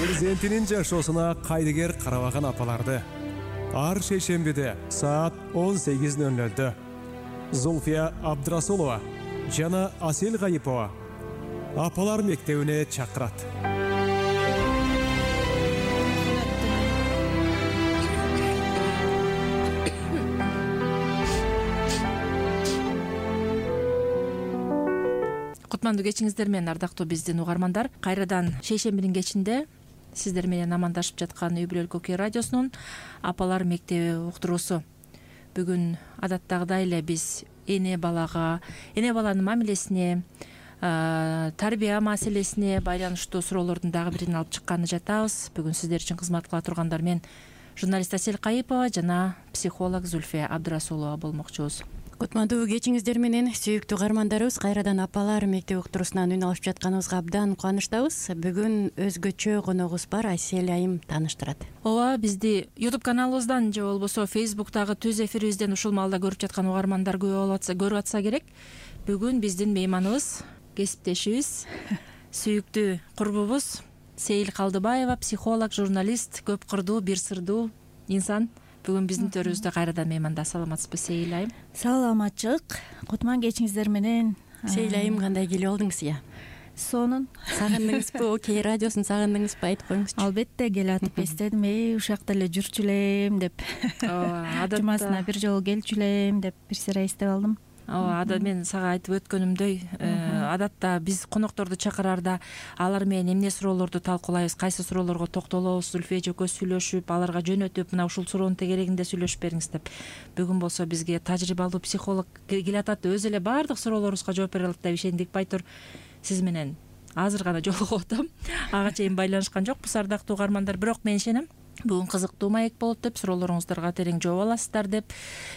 Перзентинин жашоосуна кайдыгер карабаган апаларды ар шейшембиде саат 18:00 Зульфия Абдрасулова жана Асел Гайипова апалар мектебине чакырат. Кутмандуу кечиңиздер менен, ардактуу биздин угармандар. Кайрадан шейшембинин кечинде сиздер менен амандашып жаткан Үй бүлөлүк Окей радиосунун апалар мектеби уктуруусу. Бүгүн адаттагыдай эле биз эне баланын мамилесине, тарбия маселесине байланыштуу суроолордун дагы бирин алып чыкканы жатабыз. Бүгүн сиздер үчүн кызмат кыла тургандар мен журналист Асел Гайипова жана психолог Зульфия Абдрасулова болмокчубуз. Кутмандуу кечиңиздер менен, сүйүктүү угармандарыбыз, кайрадан апалар мектеп уктуруусунан үн алышып жатканыбызга абдан кубанычтабыз. Бүгүн өзгөчө коногубуз бар, Айсел айым тааныштырат. Ооба, бизди YouTube каналыбыздан же болбосо Facebook'тагы түз эфирибизден ушул маалда көрүп жаткан угармандар көрүп атса керек. Бүгүн биздин мейманыбыз, кесиптешибиз, сүйүктүү курбубуз Сейил Калдыбаева, психолог, журналист, көп кырдуу, бир сырдуу инсан. Бүгүн биздин төрүбүздө кайрадан мейманда. Саламатсызбы Сейил айым? Саламатчык. Кутман кечиңиздер менен. Сейил айым, кандай келип алдыңыз я? Сонун. Сагындыңызбы? Окей радиосун сагындыңызбы? Айтып коюңузчу. Албетте келатып эстедим. Ушакта эле жүрчү элем деп. Жумасына бир жолу келчү элем деп бир сыйра эстеп алдым. Ооба, мен сага айтып өткөнүмдөй, адатта биз конокторду чакыраарда алар менен эмне суроолорду талкуулайбыз, кайсы суроолорго токтолобуз, Зульфия экөөбүз сүйлөшүп, аларга жөнөтүп, мына ушул суроонун тегерегинде сүйлөшүп бериңиз деп. Бүгүн болсо бизге тажрыйбалуу психолог келатат, өзү эле баардык суроолорубузга жооп бере алат деп ишендик. Байтур, сиз менен азыр гана жолугуп атам. Ага чейин байланышкан жокпуз, ардактуу угармандар, бирок мен ишенем бүгүн кызыктуу маек болот деп, суроолоруңуздарга терең жооп аласыздар деп.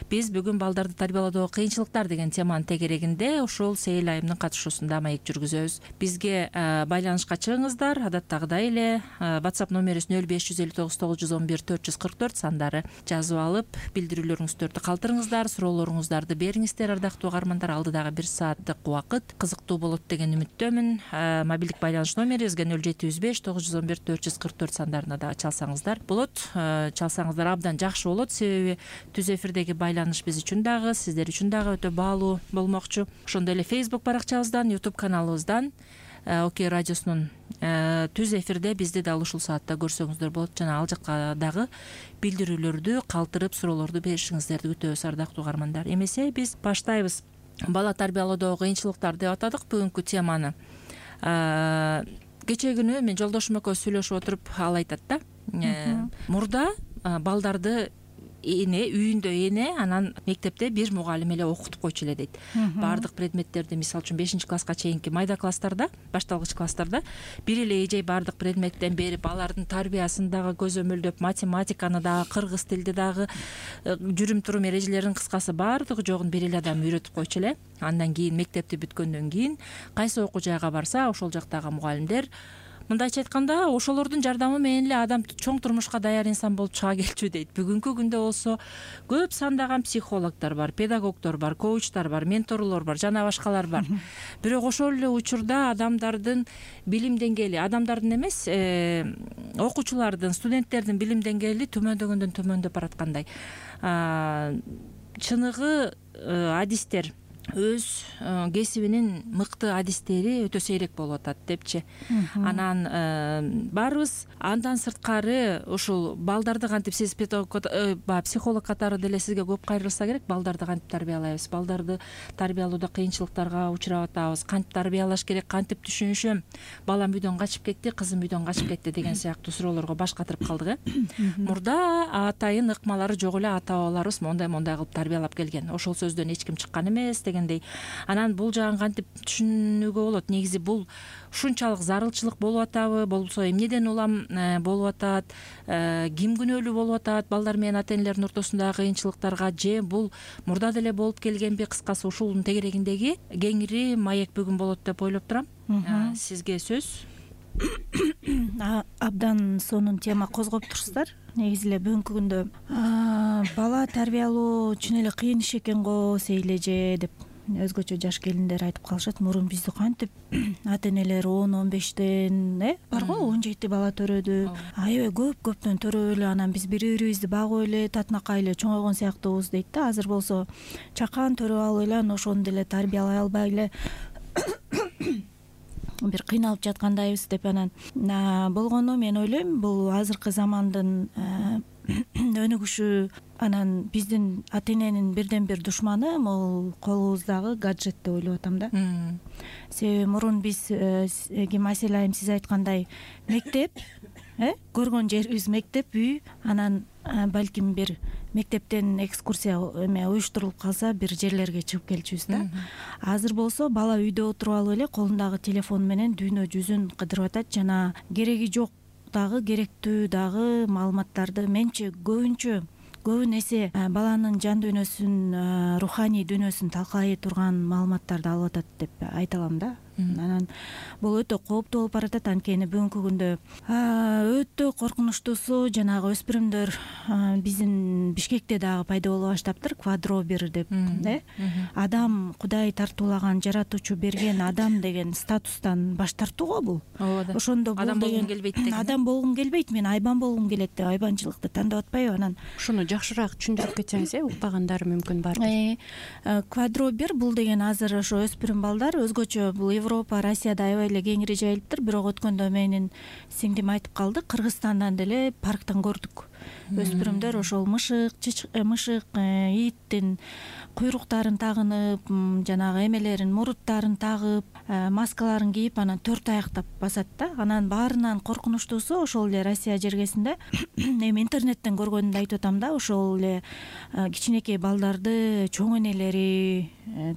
Биз бүгүн балдарды тарбиялоодогу кыйынчылыктар деген теманын тегерегинде ушул Сейил айымдын катышуусунда маек жүргүзөбүз. Бизге байланышка чыгыңыздар. Адаттагыдай эле WhatsApp номерибиз 0559 911 444 сандары. Жазып алып, билдирүүлөрүңүздөрдү калтырыңыздар, суроолоруңуздарды бериңиздер. Ардактуу угармандар, алдыдагы 1 сааттык убакыт кызыктуу болот деген үмүттөмүн. Мобилдик байланыш номерибизге 0705 911 444 сандарына дагы чалсаңыздар болот. Чалсаңыздар абдан жакшы болот, себеби түз эфирдеги байланыш биз үчүн дагы, сиздер үчүн дагы өтө баалуу болмокчу. Ошондой эле Facebook баракчабыздан, YouTube каналыбыздан, Окей радиосунун түз эфирде бизди дал ушул саатта көрсөңүздөр болот. Жана ал жакка дагы билдирүүлөрдү калтырып, суроолорду беришиңиздерди күтөбүз, ардактуу угармандар. Эмесе биз баштайбыз. Бала тарбиялоодогу кыйынчылыктар деп атадык бүгүнкү теманы. Кечээ күнү мен жолдошум экөөбүз сүйлөшүп отуруп, ал айтат да, мурда балдарды үйүндө анан мектепте бир мугалим эле окутуп койчу эле дейт. Баардык предметтерди, мисалы үчүн 5-класска чейинки майда класстарда, башталгыч класстарда бир эле эжей баардык предметтен берип, алардын тарбиясын дагы көзөмөлдөп, математиканы дагы, кыргыз тилди дагы, жүрүм-турум эрежелерин, кыскасы баардыгы жогун бир эле адам үйрөтүп койчу эле. Андан кийин мектепти бүткөндөн кийин кайсы окуу жайга барса, ошол жактагы мугалимдер мындайча айтканда, ошолордун жардамы менен эле адам чоң турмушка даяр инсан болуп чыга келчү дейт. Бүгүнкү күндө болсо көп сандаган психологдор бар, педагогдор бар, коучтар бар, менторлор бар, жана башкалар бар. Бирок ошол эле учурда адамдардын билим деңгээли, адамдардын эмес, окуучулардын, студенттердин билим деңгээли төмөндөгөндөн төмөндөп бараткандай. Чыныгы адистер, өз кесибинин мыкты адистери өтө сейрек болуп атат депчи. Анан баарыбыз андан сырткары ушул балдарды кантип, сиз психолог катары деле сизге көп кайрылса керек, балдарды кантип тарбиялайбыз, балдарды тарбиялоодо кыйынчылыктарга учурап атабыз, кантип тарбиялаш керек, кантип түшүнүшөм, балам үйдөн качып кетти, кызым үйдөн качып кетти деген сыяктуу суроолорго баш катырып калдык. Мурда атайын ыкмалары жок эле, ата бабаларыбыз мондай кылып тарбиялап келген. Ошол сөздөн эч ким чыккан эмес дегендей. Анан бул жагын кантип түшүнүүгө болот? Негизи бул ушунчалык зарылчылык болуп атабы, болбосо эмнеден улам болуп атат, ким күнөөлүү болуп атат балдар менен ата энелердин ортосундагы кыйынчылыктарга, же бул мурда деле болуп келгенби? Кыскасы ушунун тегерегиндеги кеңири маек бүгүн болот деп ойлоп турам. Сизге сөз. Абдан сонун тема козгоп турсуздар. Негизи эле бүгүнкү күндө бала тарбиялоо чын эле кыйын иш экен го, Сейил эже деп өзгөчө жаш келиндер айтып калышат, мурун бизди кантип ата энелер 10-15тен барго 17 бала төрөдү, аябай көптөн төрөп эле анан биз бири бирибизди багып эле татынакай эле чоңойгон сыяктуубуз дейт да. Азыр болсо чакан төрөп алып эле анан ошону деле тарбиялай албай эле бир кыйналып жаткандайбыз деп. Анан болгону мен ойлойм, бул азыркы замандын өнүгүшү. Анан биздин ата эненин бирден бир душманы бул колубуздагы гаджет деп ойлоп атам да. Себеби мурун биз ким Асель айым сиз айткандай мектеп, көргөн жерибиз мектеп, үй, анан балким бир мектептен экскурсия уюштурулуп калса бир жерлерге чыгып келчүбүз да. Азыр болсо бала үйдө отуруп алып эле колундагы телефон менен дүйнө жүзүн кыдырып атат жана кереги жок дагы керектүү дагы маалыматтарды менче көбүн эсе баланын жан дүйнөсүн, руханий дүйнөсүн талкалай турган маалыматтарды алып атат деп айта алам да. Анан бул өтө кооптуу болуп баратат. Анткени бүгүнкү күндө өтө коркунучтуусу жанагы өспүрүмдөр биздин Бишкекте дагы пайда боло баштаптыр, квадробир деп. Адам Кудай тартуулаган, жаратуучу берген адам деген статустан баш тартуу го бул. Ошондо адам болгум келбейт деген. Адам болгум келбейт, мен айбан болгум келет деп айбанчылыкты тандап атпайбы? Анан ушуну жакшыраак түшүндүрүп кетсеңиз, укпагандар мүмкүн бардыр. Квадробир бул деген азыр ошо өспүрүм балдар, өзгөчө бул Европа, Россияда аябай эле кеңири жайылыптыр. Бирок өткөндө менин сиңдим айтып калды, Кыргызстандан деле парктан көрдүк. Өспүрүмдөр ошол мышык, иттин куйруктарын тагынып, жанагы эмелерин, муруттарын тагып, маскаларын кийип, анан 4 аяктап басат да. Анан баарынан коркунучтуусу ошол эле Россия жергесинде эми интернеттен көргөнүмдү айтып атам да, ошол эле кичинекей балдарды чоң энелери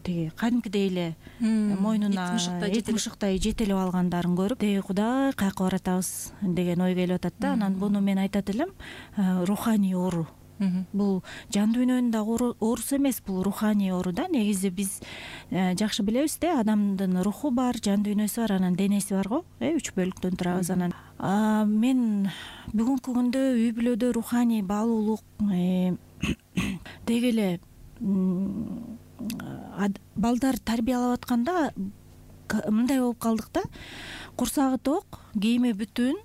тиги кадимкидей эле мойнуна эт мышыктай жетелеп алгандарын көрүп, деги Кудай каяка баратабыз деген ой келип атат да. Анан буну мен айтат элем, руханий оору. Бул жан дүйнөнүн дагы оорусу эмес, бул руханий оору да. Негизи биз жакшы билебиз да, адамдын руху бар, жан дүйнөсү бар, анан денеси бар го, 3 бөлүктөн турабыз. Анан мен бүгүнкү күндө үй бүлөдө руханий баалуулук деги эле балдар тарбиялап атканда мындай болуп калдык да. Курсагы ток, кийими бүтүн,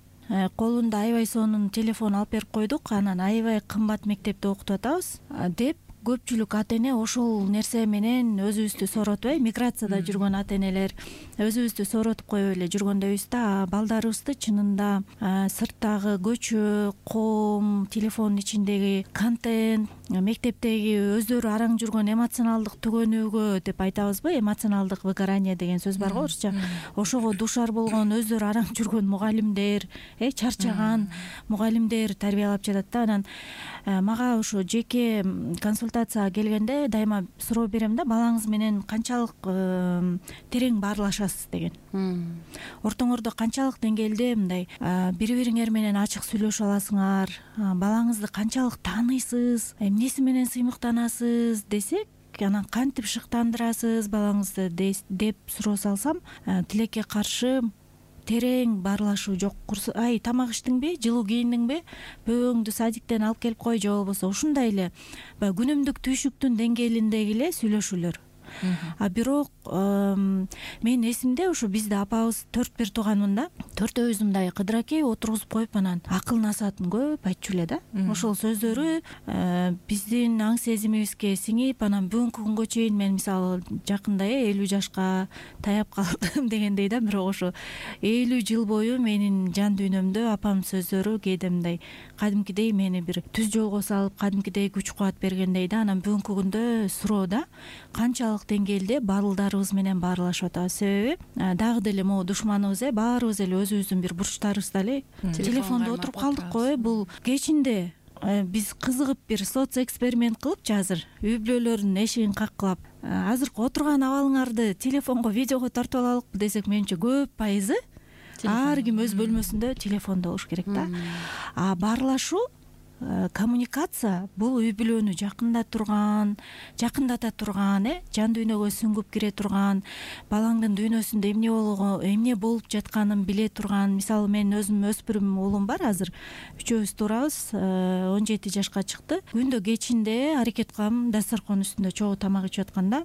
колунда аябай сонун телефон алып берип койдук, анан аябай кымбат мектепте окутуп атабыз деп көпчүлүк ата эне ошол нерсе менен өзүбүздү сооротпай, миграцияда жүргөн ата энелер өзүбүздү сооротуп коюп эле жүргөндөйбүз да. Балдарыбызды чынында сырттагы көчө, ком, телефондун ичиндеги контент, мектептеги өздөрү араң жүргөн эмоционалдык түгөнүүгө деп айтабызбы, эмоционалдык выгорание деген сөз бар го орусча. Ошого душар болгон, өздөрү араң жүргөн мугалимдер, чарчаган мугалимдер тарбиялап жатат да. Анан мага ошо жеке консультацияга келгенде дайыма суроо берем да, балаңыз менен канчалык терең баарлашасыз деген. Ортоңордо канчалык деңгээлде мындай бири бириңер менен ачык сүйлөшө аласыңар, балаңызды канчалык тааныйсыз, эмнеси менен сыймыктанасыз десек, анан кантип шыктандырасыз балаңызды деп суроо салсам, тилекке каршы терең баарлашуу жок. Ай, тамак иштиңби, жылуу кийиндиңби, бөбөңдү садиктен алып келип кой, же болбосо ушундай эле баягы күнүмдүк түйшүктүн деңгээлиндеги эле сүйлөшүүлөр. Бирок мен эсимде, ушу бизде апабыз 4 тууганмын да, 4-өөбүз мындай кыдыракей отургузуп коюп, анан акыл насаатын көп айтчу эле да. Ошол сөздөрү биздин аң сезимибизге сиңип, анан бүгүнкү күнгө чейин мен мисалы жакында 50 жашка таяп калдым дегендей да. Бирок ошо 50 жыл бою менин жан дүйнөмдө апамдын сөздөрү кээде мындай кадимкидей мени бир түз жолго салып, кадимкидей күч кубат бергендей да. Анан бүгүнкү күндө суроо да, канчалык деңгээлде балдарыбыз менен баарлашып атабыз. Себеби дагы деле могу душманыбыз, баарыбыз эле өзүбүздүн бир бурчтарыбызда эле телефондо отуруп калдык го. Бул кечинде биз кызыгып бир соц эксперимент кылыпчы, азыр үй бүлөлөрдүн эшигин каккылап, азыркы отурган абалыңарды телефонго, видеого тартып алалыкпы десек, менимче көп пайызы ар ким өз бөлмөсүндө телефондо болуш керек да. Баарлашуу, коммуникация бул үй бүлөнү жакындата турган, жан дүйнөгө сүңгүп кире турган, балаңдын дүйнөсүндө эмне болуп жатканын биле турган. Мисалы мен өзүм өспүрүм уулум бар, азыр 3-өөбүз турабыз, 17 жашка чыкты. Күндө кечинде аракет кылам, дасторкон үстүндө чогуу тамак ичип атканда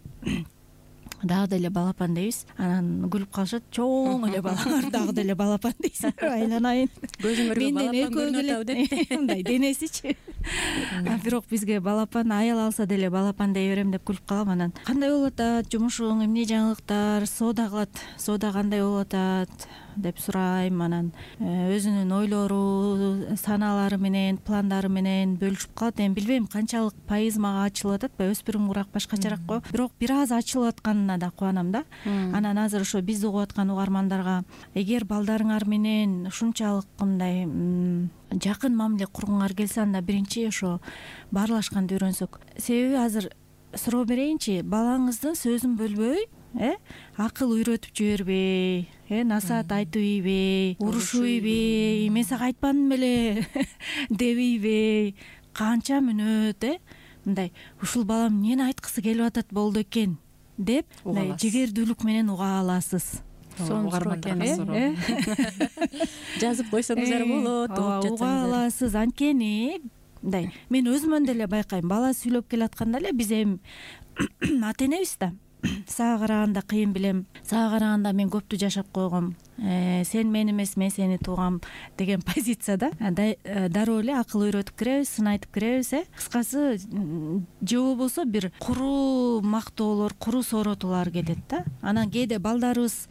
дагы деле балапан дейбиз. Анан күлүп калышат, чоң эле балаңар дагы деле балапан дейсиңерби, айланайын. Көзүңөргө балапан көрүнүп атабы деп. Мындай денесичи. Бирок бизге балапан аял алса деле балапан дей берем деп күлүп калам. Анан кандай болуп атат жумушуң, эмне жаңылыктар, соода кылат, соода кандай болуп атат деп сурайм. Анан өзүнүн ойлору, санаалары менен, пландары менен бөлүшүп калат. Эми билбейм канчалык пайыз мага ачылып атат, өзпүрүм курак башкачараак го, бирок бир аз ачылып атканына да кубанам да. Анан азыр ошо бизди угуп аткан угармандарга, эгер балдарыңар менен ушунчалык мындай жакын мамиле кургуңар келсе, анда биринчи ошо баарлашканды үйрөнсөк. Себеби азыр суроо берейинчи, балаңыздын сөзүн бөлбөй, акыл үйрөтүп жибербей, насаат айтып ийбей, урушуйбей, мен сага айтпадым беле дебейбей, канча мүнөт мындай ушул балам эмнени айткысы келип атат болду экен деп мындай жигердүүлүк менен уга аласыз. Жазып койсоңуздар болот, угуп жатсаңыздар. Уга аласыз. Анткени мындай мен өзүмөн деле байкайм, бала сүйлөп келатканда эле биз эми ата энебиз да. Сага караганда кыйын билем, сага караганда мен көптү жашап койгом, сен мен эмес, мен сени туугам деген позицияда дароо эле акыл үйрөтүп киребиз, сын айтып киребиз. Кыскасы же болбосо бир куруу мактоолор, куруу сооротуулар кетет да. Анан кээде балдарыбыз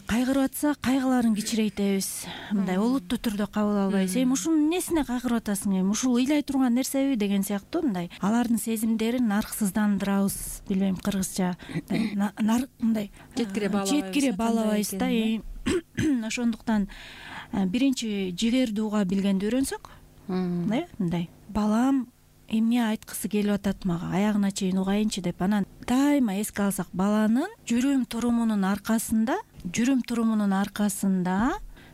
кайгырып атса, кайгыларын кичирейтебиз, мындай олуттуу түрдө кабыл албайбыз. Эми ушунун эмнесине кайгырып атасың, эми ушул ыйлай турган нерсеби деген сыяктуу мындай алардын сезимдерин нарксыздандырабыз, билбейм кыргызча мындай четкире баалабайбыз да. Ошондуктан биринчи жигерди уга билгенди үйрөнсөк, мындай балам эмне айткысы келип атат мага, аягына чейин угайынчы деп, анан дайыма эске алсак, баланын жүрүм турумунун аркасында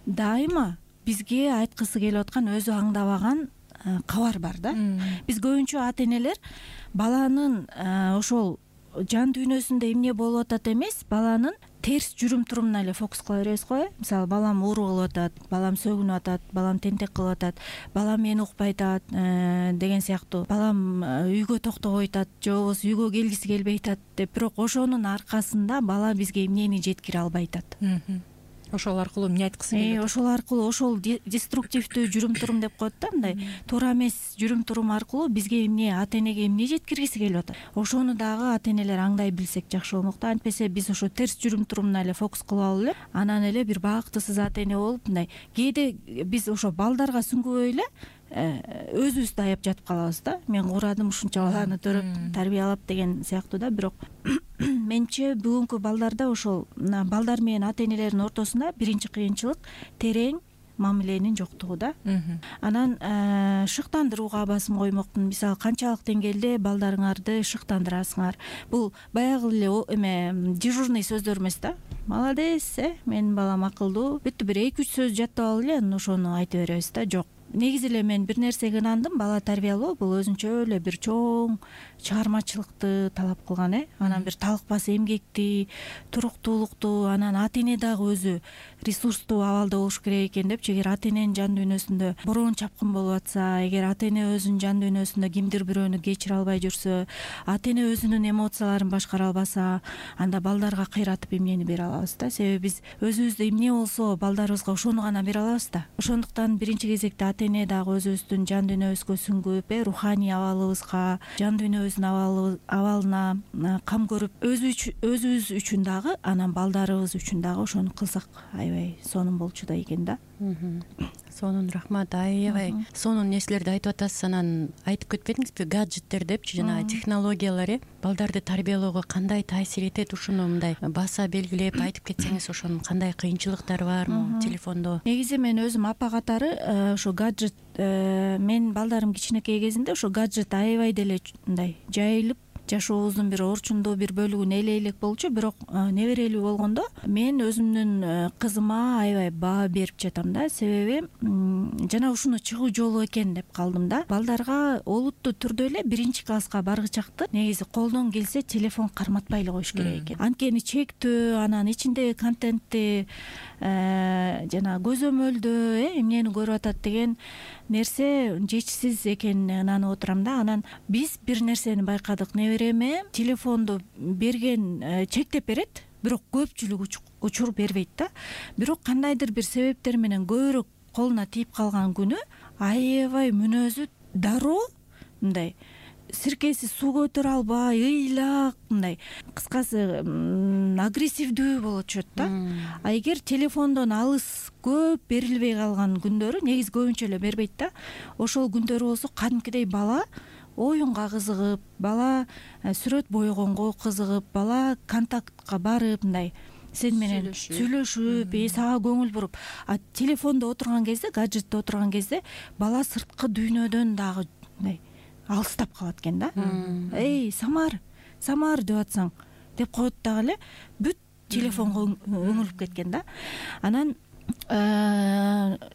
дайыма бизге айткысы келип аткан, өзү аңдабаган кабар бар да. Биз көбүнчө ата энелер баланын ошол жан дүйнөсүндө эмне болуп атат эмес, баланын терс жүрүм турумуна эле фокус кыла беребиз го. Мисалы, балам оору кылып атат, балам сөгүнүп атат, балам тентек кылып атат, балам мени укпай атат деген сыяктуу, балам үйгө токтобой атат, же болбосо үйгө келгиси келбей атат деп. Бирок ошонун аркасында бала бизге эмнени жеткире албай атат. Ошол аркылуу эмне айткысы келип атат? Ошол аркылуу, ошол деструктивдүү жүрүм турум деп коет да, мындай туура эмес жүрүм турум аркылуу бизге эмне, ата энеге эмне жеткиргиси келип атат. Ошону дагы ата энелер аңдай билсек жакшы болмок да. Антпесе биз ошо терс жүрүм турумуна эле фокус кылып алып эле, анан эле бир бактысыз ата эне болуп, мындай кээде биз ошо балдарга сүңгүбөй эле өзүбүздү аяп жатып калабыз да. Мен куурадым ушунча баланы төрөп тарбиялап деген сыяктуу да. Бирок менче бүгүнкү балдарда ошол балдар менен ата энелердин ортосунда биринчи кыйынчылык терең мамиленин жоктугу да. Анан шыктандырууга басым коймокмун. Мисалы, канчалык деңгээлде балдарыңарды шыктандырасыңар. Бул баягы эле эме дежурный сөздөр эмес да. Молодец, менин балам акылдуу, бүттү, бир 2-3 сөз жаттап алып эле анан ошону айтып беребиз да. Жок. Негизи эле мен бир нерсеге ынандым, бала тарбиялоо бул өзүнчө эле бир чоң чыгармачылыкты талап кылган. Анан бир талыкпас эмгекти, туруктуулукту, анан ата эне дагы өзү ресурстуу абалда болуш керек экен депчи. Эгер ата эненин жан дүйнөсүндө бороон чапкын болуп атса, эгер ата эне өзүнүн жан дүйнөсүндө кимдир бирөөнү кечире албай жүрсө, ата эне өзүнүн эмоцияларын башкара албаса, анда балдарга кыйратып эмнени бере алабыз да. Себеби биз өзүбүздө эмне болсо балдарыбызга ошону гана бере алабыз да. Ошондуктан биринчи кезекте ата эне дагы өзүбүздүн жан дүйнөбүзгө сүңгүп, руханий абалыбызга, жан дүйнөбүздүн абалына кам көрүп, өзүбүз үчүн дагы, анан балдарыбыз үчүн дагы ошону кылсак аябай сонун болчудай экен да. Сонун рахмат. Аябай сонун нерселерди айтып атасыз. Анан айтып кетпедиңизби, гаджеттер депчи, жанагы технологиялар балдарды тарбиялоого кандай таасир этет? Ушуну мындай баса белгилеп айтып кетсеңиз, ошонун кандай кыйынчылыктары бармы телефондо? Негизи мен өзүм апа катары ошо гаджет, менин балдарым кичинекей кезинде ошо гаджет аябай деле мындай жайылып, жашообуздун бир орчундуу бир бөлүгүнө эле элек болчу. Бирок неберелүү болгондо мен өзүмдүн кызыма аябай баа берип жатам да. Себеби жана ушуну чыгуу жолу экен деп калдым да. Балдарга олуттуу түрдө эле биринчи класска баргычакты негизи колдон келсе телефон карматпай эле коюш керек экен. Анткени чектөө, анан ичиндеги контентти жана көзөмөлдөө эмнени көрүп атат деген нерсе жетишсиз экенине ынанып отурам да. Анан биз бир нерсени байкадык, небере эме телефонду берген чектеп берет, бирок көпчүлүк учур бербейт да. Бирок кандайдыр бир себептер менен көбүрөөк колуна тийип калган күнү аябай мүнөзү дароо, мындай сиркеси суу көтөрө албай, ыйлак, мындай кыскасы агрессивдүү болот чөт да. А эгер телефондон алыс көп берилбей калган күндөрү, негизи көбүнчө эле бербейт да, ошол күндөрү болсо кадимкидей бала оюнга кызыгып, бала сүрөт бойгонго кызыгып, бала контактка барып, мындай сен менен сүйлөшүп, сага көңүл буруп. А телефондо отурган кезде, гаджетте отурган кезде бала сырткы дүйнөдөн дагы мындай алыстап калат экен да. Эй, Самар деп атсаң деп коет дагы эле, бүт телефонго өңүлүп кеткен да. Анан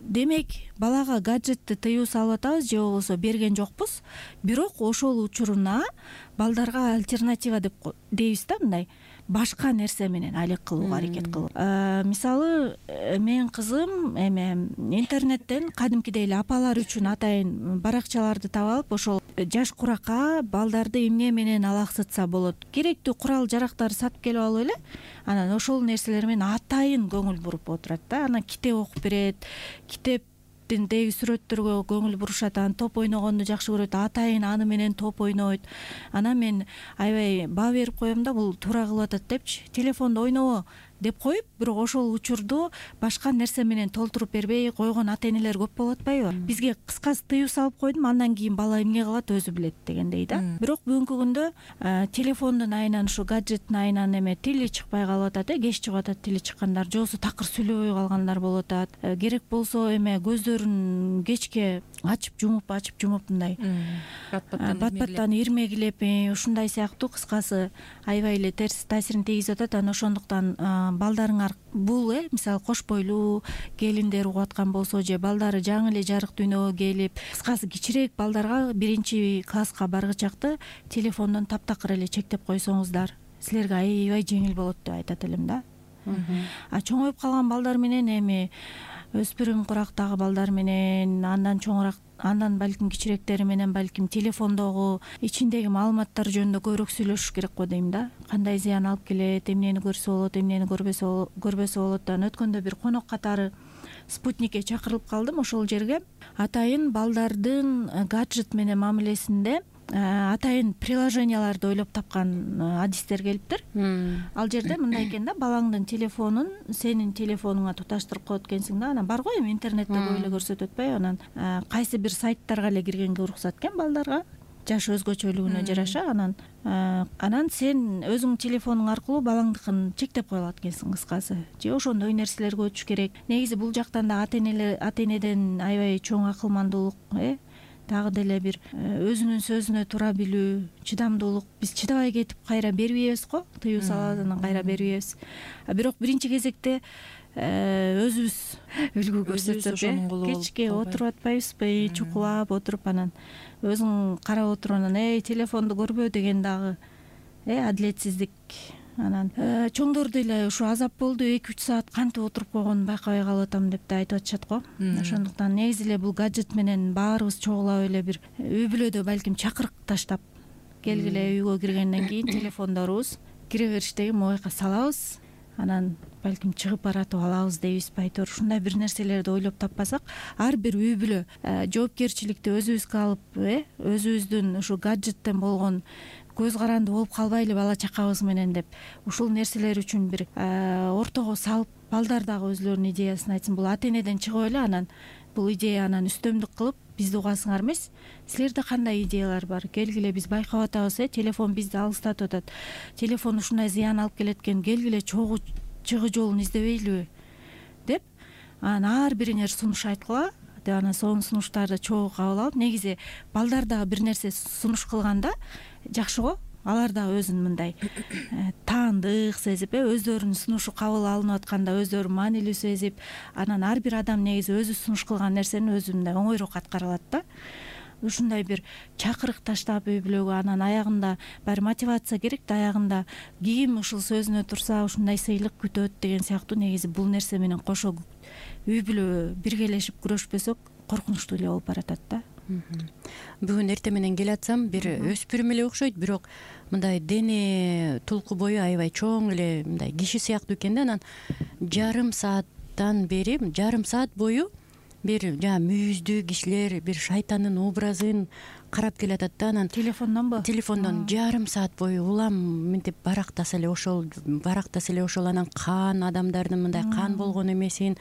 демек балага гаджетти тыюу салып атабыз же болбосо берген жокпуз, бирок ошол учуруна балдарга альтернатива дейбиз да, мындай башка нерсе менен алек кылууга аракет кылып. Мисалы, менин кызым эме интернеттен кадимкидей эле апалар үчүн атайын баракчаларды таап алып, ошол жаш курака балдарды эмне менен алаксытса болот, керектүү курал жарактарды сатып келип алып эле, анан ошол нерселер менен атайын көңүл буруп отурат да. Анан китеп окуп берет, китептиндеги сүрөттөргө көңүл бурушат, анан топ ойногонду жакшы көрөт, атайын аны менен топ ойнойт. Анан мен аябай баа берип коем да, бул туура кылып атат депчи, телефондо ойнобо деп коюп, бирок ошол учурду башка нерсе менен толтуруп бербей койгон ата энелер көп болуп атпайбы? Бизге кыскасы тыюу салып койдум, андан кийин бала эмне кылат өзү билет дегендей да. Бирок бүгүнкү күндө телефондун айынан, ушу гаджеттин айынан эме тили чыкпай калып атат, кеч чыгып атат тили чыккандар, же болбосо такыр сүйлөбөй калгандар болуп атат. Керек болсо эме көздөрүн кечке ачып жумуп мындай бат-баттан ирмегилеп, ушундай сыяктуу кыскасы аябай эле терс таасирин тийгизип атат. Анан ошондуктан балдарыңар бул мисалы кош бойлуу келиндер угуп аткан болсо, же балдары жаңы эле жарык дүйнөгө келип, кыскасы кичирээк балдарга 1-класска баргычакты телефондон таптакыр эле чектеп койсоңуздар, силерге аябай жеңил болот деп айтат элем да. А чоңоюп калган балдар менен эми өспүрүм курактагы балдар менен, андан чоңураак, андан балким кичирээктери менен балким телефондогу ичиндеги маалыматтар жөнүндө көбүрөөк сүйлөшүш керек го дейм да. Кандай зыян алып келет, эмнени көрсө болот, эмнени көрбөсө болот. Анан өткөндө бир конок катары спутникке чакырылып калдым. Ошол жерге атайын балдардын гаджет менен мамилесинде атайын приложенияларды ойлоп тапкан адистер келиптир. Ал жерде мындай экен да, балаңдын телефонун сенин телефонуңа туташтырып коет экенсиң да. Анан бар го эми интернетте көп эле көрсөтүп атпайбы? Анан кайсы бир сайттарга эле киргенге уруксат экен балдарга, жаш өзгөчөлүгүнө жараша. Анан сен өзүңдүн телефонуң аркылуу балаңдыкын чектеп кое алат экенсиң кыскасы. Же ошондой нерселерге өтүш керек. Негизи бул жактан да ата энеден аябай чоң акылмандуулук, дагы деле бир өзүнүн сөзүнө туура билүү, чыдамдуулук. Биз чыдабай кетип кайра бербейбиз го, тыюу салат, анан кайра бербейбиз. Бирок биринчи кезекте өзүбүз үлгү көрсөтсөк, кечке отуруп атпайбызбы, чукулап отуруп, анан өзүң карап отуруп, анан телефонду көрбө деген дагы адилетсиздик. Анан чоңдор деле ушу азап болду, 2-3 саат кантип отуруп койгонун байкабай калып атам деп да айтып атышат го. Ошондуктан негизи эле бул гаджет менен баарыбыз чогулап эле бир үй бүлөдө балким чакырык таштап келгиле, үйгө киргенден кийин телефондорубуз кире бериштеги мобайга салабыз, анан балким чыгып баратып алабыз дейбизби, айтор ушундай бир нерселерди ойлоп таппасак, ар бир үй бүлө жоопкерчиликти өзүбүзгө алып, өзүбүздүн ушу гаджеттен болгон көз каранды болуп калбайлы бала чакабыз менен деп ушул нерселер үчүн бир ортого салып, балдар дагы өзүлөрүнүн идеясын айтсын. Бул ата энеден чыгып эле, анан бул идея анан үстөмдүк кылып бизди угасыңар эмес. Силерде кандай идеялар бар? Келгиле, биз байкап атабыз, телефон бизди алыстатып атат. Телефон ушундай зыян алып келет экен, келгиле чогуу чыгуу жолун издебейлиби деп анан ар бириңер сунуш айткыла деп, анан сонун сунуштарды чогуу кабыл алып, негизи балдар дагы бир нерсе сунуш кылганда жакшы го, алар дагы өзүн мындай таандык сезип, өздөрүнүн сунушу кабыл алынып атканда өздөрү маанилүү сезип, анан ар бир адам негизи өзү сунуш кылган нерсени өзү мындай оңойрөөк аткара алат да. Ушундай бир чакырык таштап үй бүлөгө, анан аягында баары мотивация керек да, аягында ким ушул сөзүнө турса ушундай сыйлык күтөт деген сыяктуу. Негизи бул нерсе менен кошо үй бүлө биргелешип күрөшпөсөк коркунучтуу эле болуп баратат да. Бүгүн эртең менен келатсам бир өспүрүм эле окшойт, бирок мындай дене тулку бою аябай чоң эле мындай киши сыяктуу экен да. Анан жарым саат бою бир мүйүздүү кишилер бир шайтандын образын карап келатат да. Анан телефондон жарым саат бою улам мынтип барактаса эле ошол анан кан, адамдардын мындай кан болгон эмесин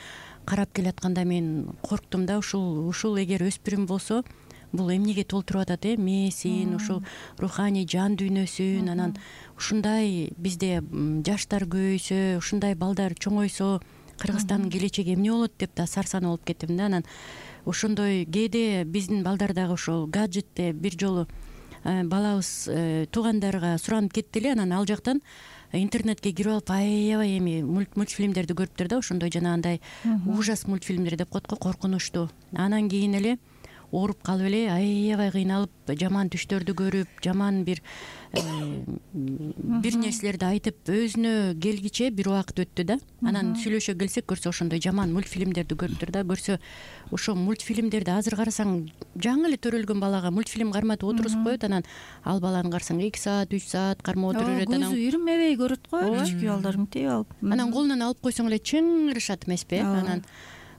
карап келатканда мен корктум да. Ушул эгер өспүрүм болсо бул эмнеге толтуруп атат, мээсин, ушул руханий жан дүйнөсүн. Анан ушундай бизде жаштар көбөйсө, ушундай балдар чоңойсо Кыргызстандын келечеги эмне болот деп да сарсанаа болуп кеттим да. Анан ошондой кээде биздин балдар дагы ошол гаджетте бир жолу балабыз туугандарга суранып кетти эле. Анан ал жактан интернетке кирип алып аябай эми мультфильмдерди көрүптүр да. Ошондой жанагындай ужас мультфильмдер деп коет го, коркунучтуу. Анан кийин эле ооруп калып эле аябай кыйналып, жаман түштөрдү көрүп, жаман бир нерселерди айтып өзүнө келгиче бир убакыт өттү да. Анан сүйлөшө келсек көрсө ошондой жаман мультфильмдерди көрүптүр да. Көрсө ошо мультфильмдерди азыр карасаң жаңы эле төрөлгөн балага мультфильм карматып отургузуп коет. Анан ал баланы карасаң 2 саат 3 саат кармап отура берет. Көзү ирмебей көрөт го кичике балдар мынтип алып. Анан колунан алып койсоң эле чыңырышат эмеспи? Анан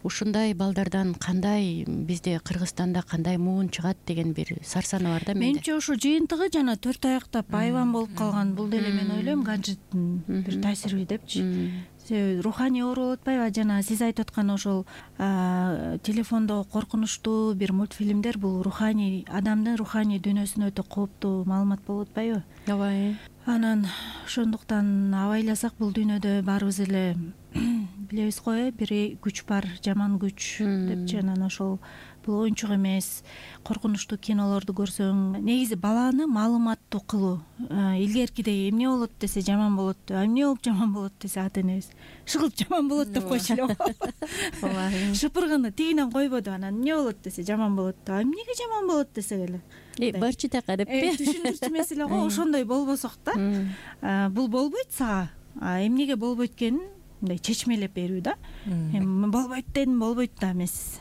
ушундай балдардан кандай бизде Кыргызстанда кандай муун чыгат деген бир сарсанаа бар да менде. Менимче ошо жыйынтыгы жана 4 аяктап айбан болуп калган бул деле мен ойлойм гаджеттин бир таасири депчи. Себеби руханий оору болуп атпайбы? Жана сиз айтып аткан ошол телефондо коркунучтуу бир мультфильмдер бул руханий адамдын руханий дүйнөсүнө өтө кооптуу маалымат болуп атпайбы? Ооба. Анан ошондуктан абайласак бул дүйнөдө баарыбыз эле билебиз го, бир күч бар, жаман күч депчи. Анан ошол бул оюнчук эмес. Коркунучтуу кинолорду көрсөң, негизи баланы маалыматтуу кылуу. Илгеркидей эмне болот десе жаман болот, эмне болуп жаман болот десе ата энебиз шыгылып жаман болот деп койчу эле. Ооба. Шыпыргыны тигинен койбоду. Анан эмне болот десе жаман болот. Эмнеге жаман болот десек эле барчы така деппи? Түшүндүрчү маселе го. Ошондой болбосок да. Бул болбойт сага. Эмнеге болбойт экенин мындай чечмелеп берүү да. Болбойт дедим, болбойт да эмес.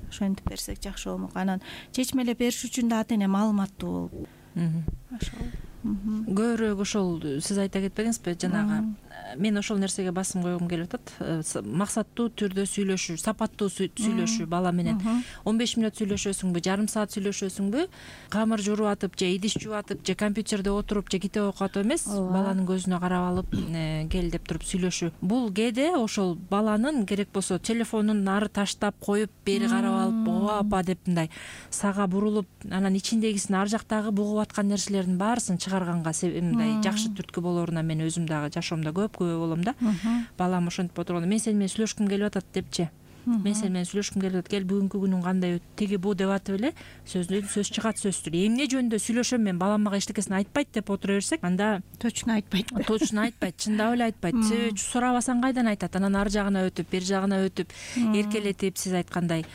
Ошентип берсек жакшы болмок. Анан чечмелеп бериш үчүн да ата эне маалыматтуу болуп. Ошол. Көбүрөөк ошол сиз айта кетпедиңизби жанагы? Мен ошол нерсеге басым койгум келип атат. Максаттуу түрдө сүйлөшүү, сапаттуу сүйлөшүү бала менен. 15 мүнөт сүйлөшөсүңбү, жарым саат сүйлөшөсүңбү, камыр жууруп атып же идиш жууп атып же компьютерде отуруп же китеп окуп атып эмес, баланын көзүнө карап алып кел деп туруп сүйлөшүү. Бул кээде ошол баланын керек болсо телефонун нары таштап коюп, бери карап алып, ооба апа деп мындай сага бурулуп, анан ичиндегисин ар жактагы бугуп аткан нерселердин баарысын чыгарганга мындай жакшы түрткү болоруна мен өзүм дагы жашоомдо көп болом да. Балам ошентип отурганда мен сени менен сүйлөшкүм келип атат депчи. Мен сени менен сүйлөшкүм келип атат. Кел бүгүнкү күнүң кандай өттү? Тиги бу деп атып эле сөз чыгат сөзсүз. Эмне жөнүндө сүйлөшөм мен, балам мага эчтекесин айтпайт деп отура берсек, анда точно айтпайт. Чындап эле айтпайт. Сурабасаң кайдан айтат? Анан ар жагына өтүп, бер жагына өтүп, эркелетип, сиз айткандай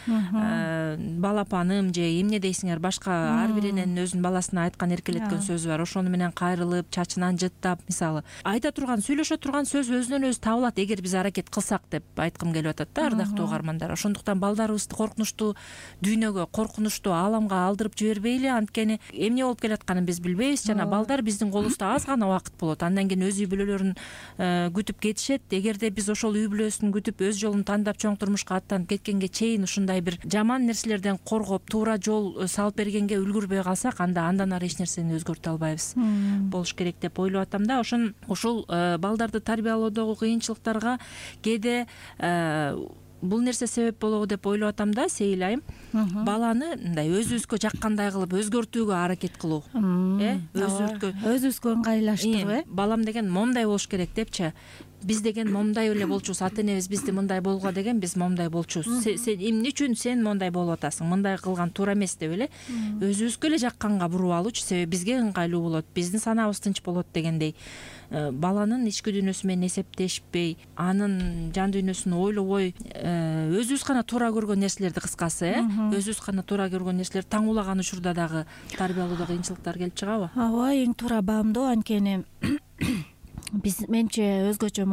балапаным же эмне дейсиңер, башка ар биринин өзүнүн баласына айткан эркелеткен сөзү бар. Ошону менен кайрылып, чачынан жыттап, мисалы, айта турган, сүйлөшө турган сөз өзүнөн өзү табылат эгер биз аракет кылсак деп айткым келип атат да, ардактуу угармандар. Ошондуктан балдарыбызды коркунучтуу дүйнөгө, коркунучтуу ааламга алдырып жибербейли. Анткени эмне болуп келатканын биз билбейбиз жана балдар биздин колубузда аз гана убакыт болот. Андан кийин өз үй бүлөлөрүн күтүп кетишет. Эгерде биз ошол үй бүлөсүн күтүп өз жолун тандап чоң турмушка аттанып кеткенге чейин ушундай бир жаман нерселерден коргоп, туура жол салып бергенге үлгүрбөй калсак, андан ары эч нерсени өзгөртө албайбыз. Болуш керек деп ойлоп атам да. Ушул балдарды тарбиялоодогу кыйынчылыктарга кээде бул нерсе себеп болобу деп ойлоп атам да, Сейил айым. Баланы мындай өзүбүзгө жаккандай кылып өзгөртүүгө аракет кылуу. Өзүбүзгө ыңгайлаштыруу. Балам деген момундай болуш керек депчи. Биз деген момундай эле болчубуз, ата энебиз бизди мындай болгула деген, биз момундай болчубуз. Сен эмне үчүн сен мондай болуп атасың? Мындай кылган туура эмес деп эле өзүбүзгө эле жакканга буруп алуучу, себеби бизге ыңгайлуу болот, биздин санаабыз тынч болот дегендей. Баланын ички дүйнөсү менен эсептешпей, анын жан дүйнөсүн ойлобой, өзүбүз гана туура көргөн нерселерди, кыскасы, өзүбүз гана туура көргөн нерселерди таңуулаган учурда дагы тарбиялоодо кыйынчылыктар келип чыгабы? Ооба, эң туура баамдоо. Анткени биз менче өзгөчө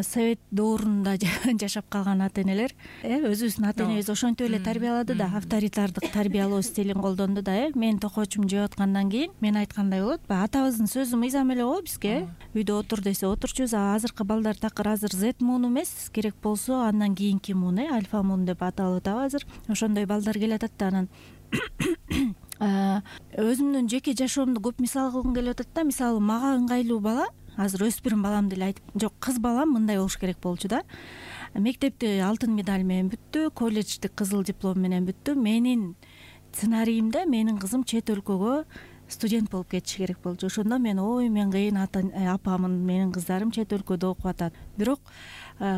совет доорунда жашап калган ата энелер өзүбүздүн ата энебиз ошентип эле тарбиялады да, авторитардык тарбиялоо стилин колдонду да. Менин токоочум жеп аткандан кийин мен айткандай болот, баягы атабыздын сөзү мыйзам эле го бизге. Үйдө отур десе отурчубуз. Азыркы балдар такыр азыр Z муун эмес, керек болсо андан кийинки муун, альфа муун деп аталып атабы азыр. Ошондой балдар келатат да. Анан өзүмдүн жеке жашоомду көп мисал кылгым келип атат да. Мисалы мага ыңгайлуу бала, азыр өспүрүм балам деле айтып, жок, кыз балам мындай болуш керек болчу да. Мектепти алтын медаль менен бүттү, колледжди кызыл диплом менен бүттү. Менин сценариимде менин кызым чет өлкөгө студент болуп кетиши керек болчу. Ошондо мен мен кыйын апамын, менин кыздарым чет өлкөдө окуп атат. Бирок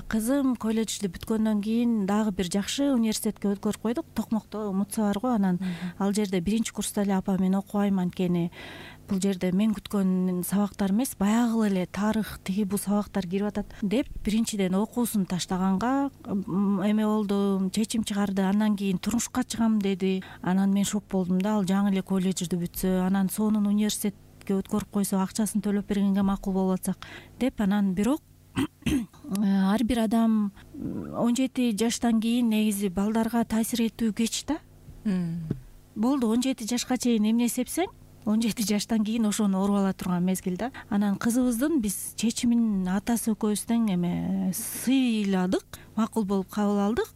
кызым колледжди бүткөндөн кийин дагы бир жакшы университетке өткөрүп койдук. Токмокто Мутса бар го. Анан ал жерде 1-курста эле апа мен окубайм, анткени бул жерде мен күткөн сабактар эмес, баягы эле тарых, тиги бул сабактар кирип атат деп биринчиден окуусун таштаганга эме болду, чечим чыгарды. Андан кийин турмушка чыгам деди. Анан мен шок болдум да, ал жаңы эле колледжди бүтсө, анан сонун университетке өткөрүп койсо, акчасын төлөп бергенге макул болуп атсак деп. Анан бирок ар бир адам 17 жаштан кийин негизи балдарга таасир этүү кеч да. Болду 17 жашка чейин эмне сепсең, 17 жаштан кийин ошону оруп ала турган мезгил да. Анан кызыбыздын биз чечимин атасы экөөбүздөн эме сыйладык, макул болуп кабыл алдык.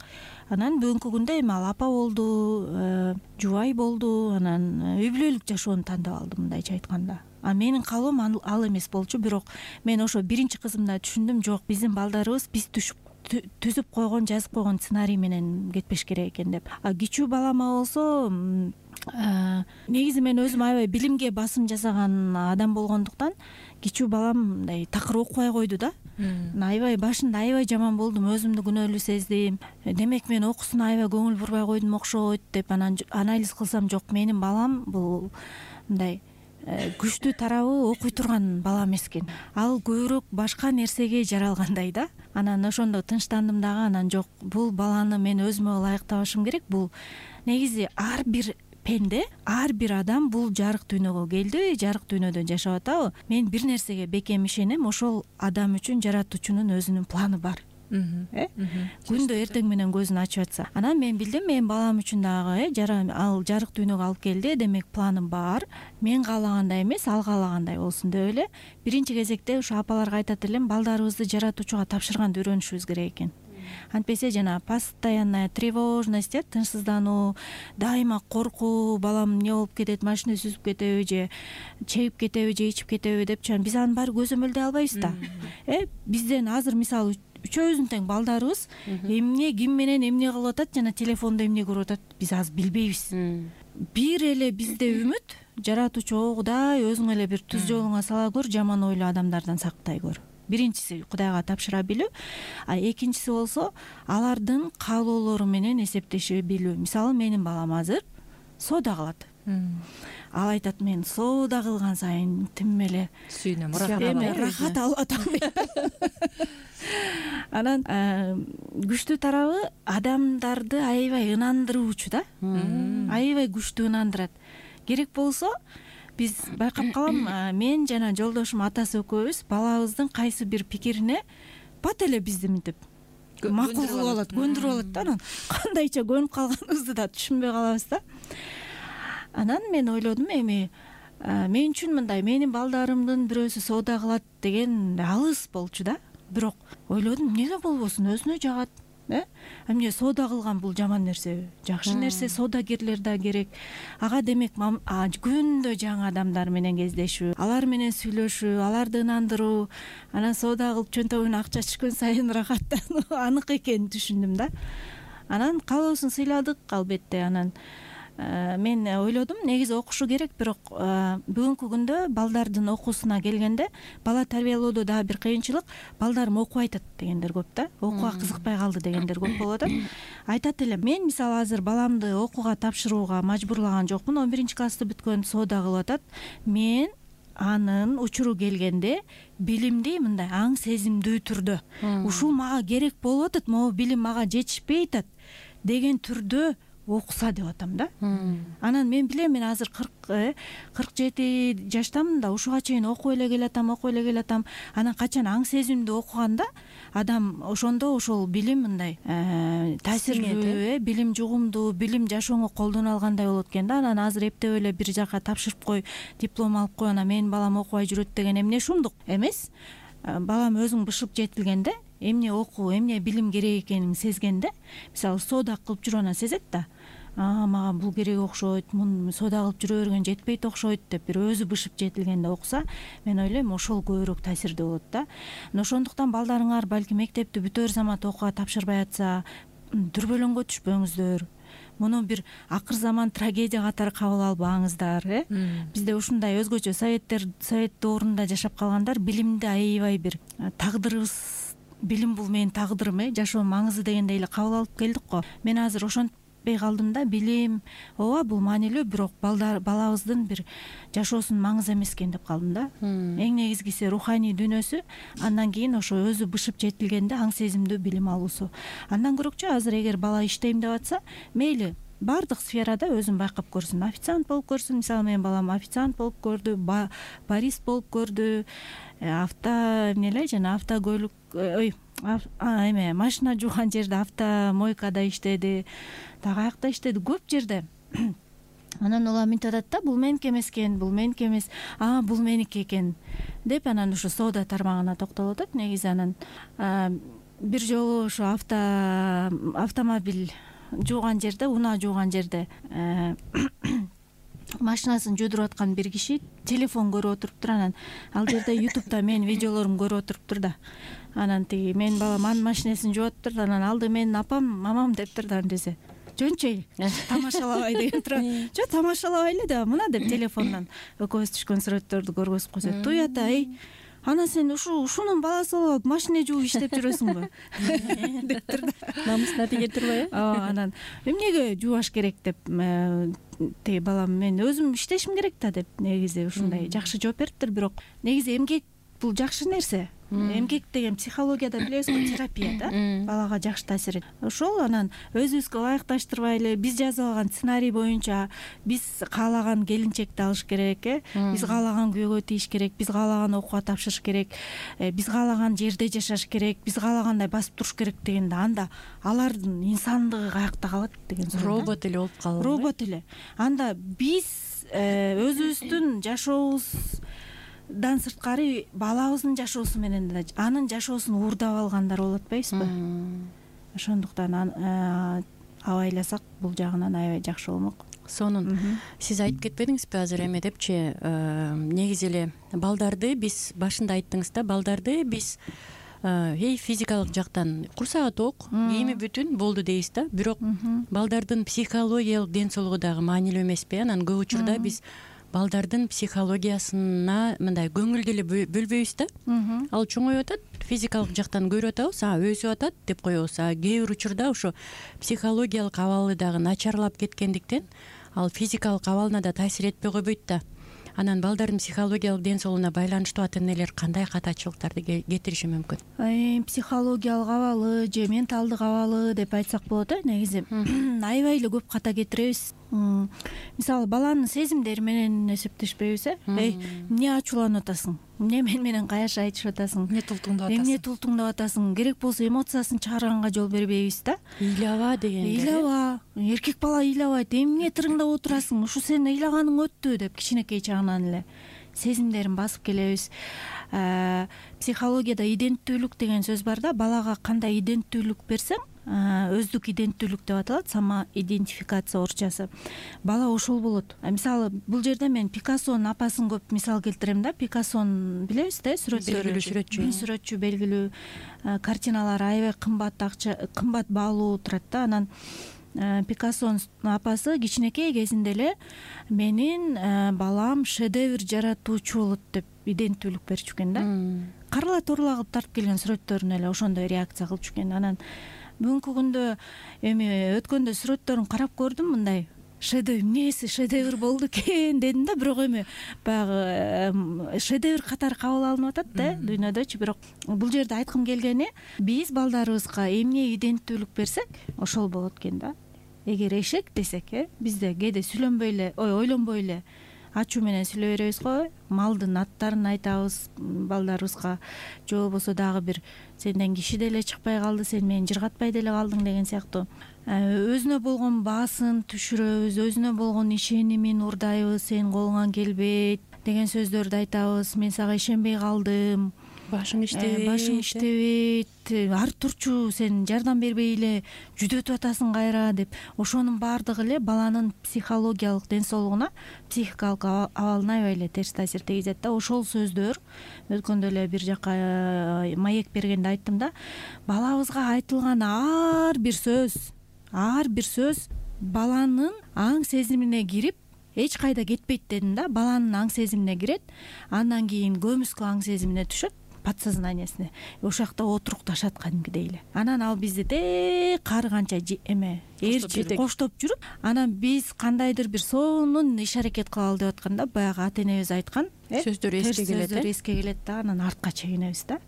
Анан бүгүнкү күндө эми ал апа болду, жубай болду. Анан үй бүлөлүк жашоону тандап алды, мындайча айтканда. Менин каалоом ал эмес болчу. Бирок мен ошо биринчи кызымда түшүндүм, жок, биздин балдарыбыз биз түзүп койгон, жазып койгон сценарий менен кетпеш керек экен деп. Кичүү балама болсо негизи мен өзүм аябай билимге басым жасаган адам болгондуктан кичүү балам мындай такыр окубай койду да. Аябай башында аябай жаман болдум, өзүмдү күнөөлүү сездим. Демек мен окуусуна аябай көңүл бурбай койдум окшойт деп. Анан анализ кылсам, жок, менин балам бул мындай күчтүү тарабы окуй турган бала эмес экен. Ал көбүрөөк башка нерсеге жаралгандай да. Анан ошондо тынчтандым дагы. Анан жок, бул баланы мен өзүмө ылайыктабашым керек. Бул негизи ар бир пенде, ар бир адам бул жарык дүйнөгө келди, жарык дүйнөдө жашап атабы. Мен бир нерсеге бекем ишенем, ошол адам үчүн жаратуучунун өзүнүн планы бар. Күндө эртең менен көзүн ачып атса. Анан мен билдим, менин балам үчүн дагы ал жарык дүйнөгө алып келди, демек планым бар. Мен каалагандай эмес, ал каалагандай болсун деп эле биринчи кезекте ушу апаларга айтат элем, балдарыбызды жаратуучуга тапшырганды үйрөнүшүбүз керек экен. Антпесе жана постоянная тревожность, тынчсыздануу, дайыма коркуу, балам эмне болуп кетет, машина сүзүп кетеби же чегип кетеби же ичип кетеби деп, биз анын баары көзөмөлдөй албайбыз да. Бизден азыр мисалы үчөөбүздүн тең балдарыбыз эмне, ким менен эмне кылып атат жана телефондо эмне көрүп атат, биз азыр билбейбиз. Бир эле бизде үмүт, жаратуучу Кудай өзүң эле бир түз жолуңа сала көр, жаман ойлуу адамдардан сактай көр. Биринчиси Кудайга тапшыра билүү, экинчиси болсо алардын каалоолору менен эсептеше билүү. Мисалы менин балам азыр соода кылат. Ал айтат, мен соода кылган сайын тим эле сүйүнөм, рахат алып атам. Анан күчтүү тарабы адамдарды аябай ынандыруучу да. Аябай күчтүү ынандырат. Керек болсо биз байкап калам, мен жана жолдошум атасы экөөбүз балабыздын кайсы бир пикирине бат эле бизди мынтип макул кылып алат, көндүрүп алат да. Анан кандайча көнүп калганыбызды да түшүнбөй калабыз да. Анан мен ойлодум, эми мен үчүн мындай менин балдарымдын бирөөсү соода кылат деген алыс болчу да. Бирок ойлодум, эмнеге болбосун, өзүнө жагат. Эмне соода кылган бул жаман нерсеби? Жакшы нерсе, соодагерлер да керек. Ага демек күндө жаңы адамдар менен кездешүү, алар менен сүйлөшүү, аларды ынандыруу, анан соода кылып чөнтөгүнө акча түшкөн сайын рахаттануу анык экенин түшүндүм да. Анан каалоосун сыйладык албетте. Анан мен ойлодум, негизи окушу керек, бирок бүгүнкү күндө балдардын окуусуна келгенде бала тарбиялоодо дагы бир кыйынчылык, балдарым окубай атат дегендер көп да. Окууга кызыкпай калды дегендер көп болуп атат. Айтат элем, мен мисалы азыр баламды окууга тапшырууга мажбурлаган жокмун. 11-классты бүткөн, соода кылып атат. Мен анын учуру келгенде билимди мындай аң сезимдүү түрдө ушул мага керек болуп атат, могу билим мага жетишпей атат деген түрдө окуса деп атам да. Анан мен билем, мен азыр 47 жаштамын да, ушуга чейин окуп эле келатам. Анан качан аң сезимди окуганда адам ошондо ошол билим мындай таасирлүү, билим жугумдуу, билим жашооңо колдоно алгандай болот экен да. Анан азыр эптеп эле бир жака тапшырып кой, диплом алып кой, анан менин балам окубай жүрөт деген эмне шумдук эмес. Балам өзүң бышып жетилгенде, эмне окуу, эмне билим керек экенин сезгенде, мисалы соода кылып жүрүп анан сезет да, мага бул керек окшойт, муну соода кылып жүрө берген жетпейт окшойт деп бир өзү бышып жетилгенде окуса, мен ойлойм ошол көбүрөөк таасирдүү болот да. Ошондуктан балдарыңар балким мектепти бүтөр замат окууга тапшырбай атса, дүрбөлөңгө түшпөңүздөр. Муну бир акыр заман трагедия катары кабыл албаңыздар. Бизде ушундай өзгөчө совет доорунда жашап калгандар билимди аябай бир тагдырыбыз, билим бул менин тагдырым, жашоонун маңызы дегендей эле кабыл алып келдик го. Мен азыр ошентпей калдым да, билим ооба бул маанилүү, бирок балабыздын бир жашоосунун маңызы эмес экен деп калдым да. Эң негизгиси руханий дүйнөсү, андан кийин ошо өзү бышып жетилгенде аң сезимдүү билим алуусу. Андан көрөкчү азыр эгер бала иштейм деп атса, мейли баардык сферада өзүн байкап көрсүн. Официант болуп көрсүн, мисалы менин балам официант болуп көрдү, барист болуп көрдү, автокөлүк, машина жууган жерде, автомойкада иштеди, аяқта иштеди, көп жерде. Анан улам мынтип атат да, бул меники эмес экен, бул меники эмес, бул меники экен деп, анан ушу соода тармагына токтолуп атат. Негизи анан бир жолу ушу автомобиль жууган жерде, унаа жууган жерде машинасын жуудуруп аткан бир киши телефон көрүп отуруптур. Анан ал жерде ютубта менин видеолорумду көрүп отуруптур да. Анан тиги менин балам анын машинесин жууп атыптыр, анан алды менин апам, мамам дептир да. Десе жөнчөй тамашалабай деген тура. Жок, тамашалабай эле да, мына деп телефондон экөөбүз түшкөн сүрөттөрдү көргөзүп койсо, туй ата, анан сен ушунун баласы болуп алып машина жууп иштеп жүрөсүңбү дептир да. Намысына тиге турбайбы? Анан эмнеге жуубаш керек деп тиги балам, мен өзүм иштешим керек да деп негизи ушундай жакшы жооп бериптир. Бирок негизи эмгек бул жакшы нерсе. Эмгек деген психологияда билесизби, терапия да, балага жакшы таасир этет. Ошол анан өзүбүзгө ылайыкташтырбай эле биз жазып алган сценарий боюнча биз каалаган келинчекти алыш керек, биз каалаган күйөөгө тийиш керек, биз каалаган окууга тапшырыш керек, биз каалаган жерде жашаш керек, биз каалагандай басып туруш керек дегенде, анда алардын инсандыгы каякта калат деген сөз. Робот эле болуп калат. Робот эле. Анда биз өзүбүздүн жашообуз дан сырткары балабыздын жашоосу менен да анын жашоосун уурдап алгандар болуп атпайбызбы? Ошондуктан абайласак бул жагынан аябай жакшы болмок. Сонун сиз айтып кетпедиңизби азыр эме депчи, негизи эле балдарды биз башында айттыңыз да, балдарды биз физикалык жактан курсагы ток, кийими бүтүн болду дейбиз да. Бирок балдардын психологиялык ден соолугу дагы маанилүү эмеспи? Анан көп учурда биз балдардын психологиясына мындай көңүл деле бөлбөйбүз да. Ал чоңоюп атат, физикалык жактан көрүп атабыз, өсүп атат деп коебуз. Кээ бир учурда ошо психологиялык абалы дагы начарлап кеткендиктен ал физикалык абалына да таасир этпей койбойт да. Анан балдардын психологиялык ден соолугуна байланыштуу ата энелер кандай катачылыктарды кетириши мүмкүн? Психологиялык абалы же менталдык абалы деп айтсак болот. Негизи аябай эле көп ката кетиребиз. Мисалы баланын сезимдери менен эсептешпейбиз. Эмне ачууланып атасың? Эмне мен менен каяша айтышып атасың? Эмне тултуңдап атасың? Керек болсо эмоциясын чыгарганга жол бербейбиз да. Ыйлаба деген. Ыйлаба. Эркек бала ыйлабайт. Эмне тырыңдап отурасың? Ушу сенин ыйлаганың өттү деп кичинекей чагынан эле сезимдерин басып келебиз. Психологияда иденттүүлүк деген сөз бар да. Балага кандай иденттүүлүк берсең, өздүк иденттүүлүк деп аталат, самоидентификация орусчасы. Бала ошол болот. Мисалы бул жерде мен Пикассонун апасын көп мисал келтирем да. Пикассонун билебиз да, сүрөтчү, белгилүү картиналары аябай кымбат баалуу турат да. Анан Пикассонун апасы кичинекей кезинде эле менин балам шедевр жаратуучу болот деп иденттүүлүк берчү экен да. Карыла турула кылып тартып келген сүрөттөрүнө эле ошондой реакция кылчу экен. Анан бүгүнкү күндө өткөндө сүрөттөрүн карап көрдүм, мындай эмнеси шедевр болду экен дедим да. Бирок баягы шедевр катары кабыл алынып атат да дүйнөдөчү. Бирок бул жерде айткым келгени, биз балдарыбызга эмне иденттүүлүк берсек, ошол болот экен да. эгер эшек десек, бизде кээде сүйлөнбөй эле, ойлонбой эле ачуу менен сүйлөй беребиз го. Малдын аттарын айтабыз балдарыбызга, же болбосо дагы бир сенден киши деле чыкпай калды, сен мени жыргатпай деле калдың деген сыяктуу өзүнө болгон баасын түшүрөбүз, өзүнө болгон ишенимин урдайбыз. Сен колуңан келбейт деген сөздөрдү айтабыз. Мен сага ишенбей калдым, башың иштебейт, ар турчу сен жардам бербей эле жүдөтүп атасың кайра деп. Ошонун баардыгы эле баланын психологиялык ден соолугуна, психикалык абалына аябай эле терс таасир тийгизет да. Ошол сөздөр өткөндө эле бир жака маек бергенде айттым да, балабызга айтылган ар бир сөз баланын аң сезимине кирип эч кайда кетпейт дедим да. Баланын аң сезимине кирет, андан кийин көмүскө аң сезимине түшөт, подсознаниясине. Ошол жакта отурукташат кадимкидей эле. Анан ал бизди кар канча коштоп жүрүп, анан биз кандайдыр бир сонун иш аракет кылалы деп атканда, баягы ата энебиз айткан сөздөр эске келет да, анан артка чегинебиз да.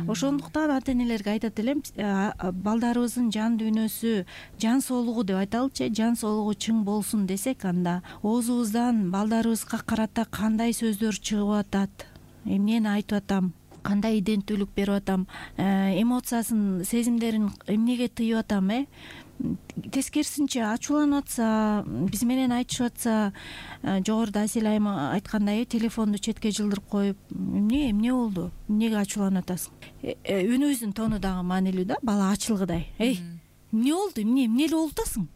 Ошондуктан ата энелерге айтат элем, балдарыбыздын жан дүйнөсү, жан соолугу деп айталычы, жан соолугу чың болсун десек, анда оозубуздан балдарыбызга карата кандай сөздөр чыгып атат, эмнени айтып атам, кандай иденттүүлүк берип атам, эмоциясын, сезимдерин эмнеге тыйып атам, тескерисинче ачууланып атса, биз менен айтышып атса, жогоруда Асель айым айткандай телефонду четке жылдырып коюп, эмне болду, эмнеге ачууланып атасың, үнүбүздүн тону дагы маанилүү да, бала ачылгыдай. Эмне болду, эмне эле болуп атасың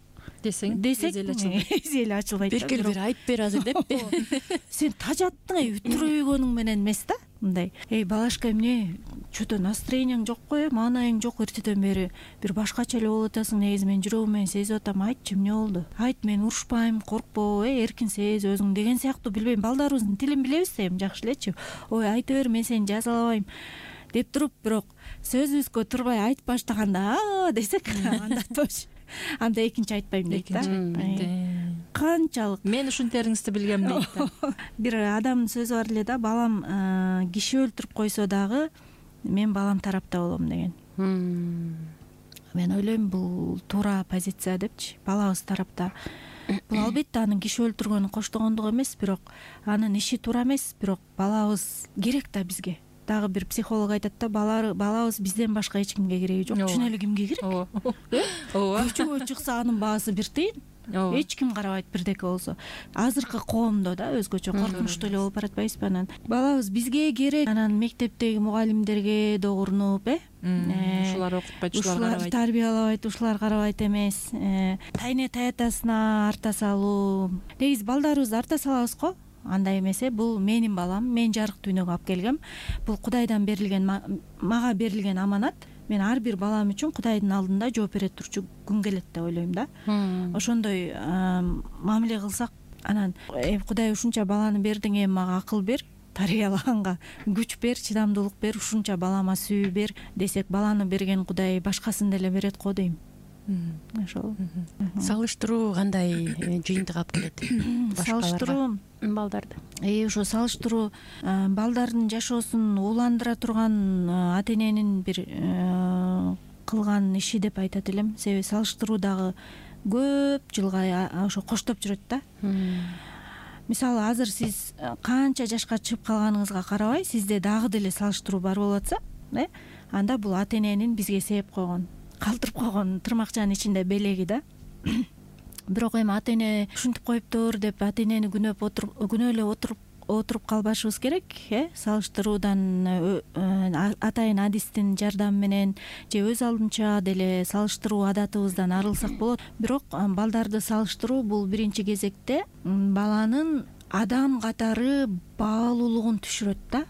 десек, эзи эле ачылбайт. Бир айтып бер азыр деп. Сен тажаттың, үтүрөйгөнүң менен эмес да, мындай. Балашка, эмне, чө-то настроениең жок го, маанайың жок, эртеден бери бир башкача эле болуп атасың, негизи мен жүрөгүм менен сезип атам, айтчы, эмне болду? Айт, мен урушпайм, коркпо, эркин сезип өзүң деген сыяктуу. Билбейм, балдарыбыздын тилин билебиз да, эми жакшы элечи. Ой, айта бер, мен сени жазалабайм деп туруп, бирок сөзүбүзгө турбай айтып баштаганда десек, анда тош. Анда экинчи айтпайм дейт да. Канчалык мен ушинтериңизди билгем дейт да. Бир адамдын сөзү бар эле да, балам киши өлтүрүп койсо дагы мен балам тарапта болом деген. Мен ойлойм, бул туура позиция депчи, балабыз тарапта. Бул албетте анын киши өлтүргөнү коштогондугу эмес, бирок анын иши туура эмес, бирок балабыз керек да бизге. Дагы бир психолог айтат да, балабыз бизден башка эч кимге кереги жок. Чын эле кимге керек? Ооба. Көчөгө чыкса анын баасы бир тыйын. Эч ким карабайт, бирдеке болсо. Азыркы коомдо да өзгөчө коркунучтуу эле болуп баратпайбызбы? Анан балабыз бизге керек. Анан мектептеги мугалимдерге да урунуп, ушулар окутпайт, ушулар карабайт, тарбиялабайт, ушулар карабайт эмес. Тайне таятасына арта салуу. Негизи балдарыбызды арта салабыз го. Андай эмес, бул менин балам, мен жарык дүйнөгө алып келгем. Бул Кудайдан берилген, мага берилген аманат. Мен ар бир балам үчүн Кудайдын алдында жооп бере турчу күн келет деп ойлойм да. Ошондой мамиле кылсак, анан Кудай ушунча баланы бердиң, эми мага акыл бер, тарбиялаганга күч бер, чыдамдуулук бер, ушунча балама сүйүү бер десек, баланы берген Кудай башкасын деле берет го дейм. Ошол. Салыштыруу кандай жыйынтык алып келет? Салыштыруу балдарды. Ошо салыштыруу балдардын жашоосун ууландыра турган ата эненин бир кылган иши деп айтат элем. Себеби салыштыруу дагы көп жылга ошо коштоп жүрөт да. Мисалы, азыр сиз канча жашка чыгып калганыңызга карабай, сизде дагы деле салыштыруу бар болуп атса, анда бул ата эненин бизге сээп койгон, калтырып койгон тырмакчанын ичинде белеги да. Бирок эми ата эне ушинтип коюптур деп ата энени күнөө эле отуруп калбашыбыз керек. Салыштыруудан атайын адистин жардамы менен же өз алдынча деле салыштыруу адатыбыздан арылсак болот. Бирок балдарды салыштыруу бул биринчи кезекте баланын адам катары баалуулугун түшүрөт да.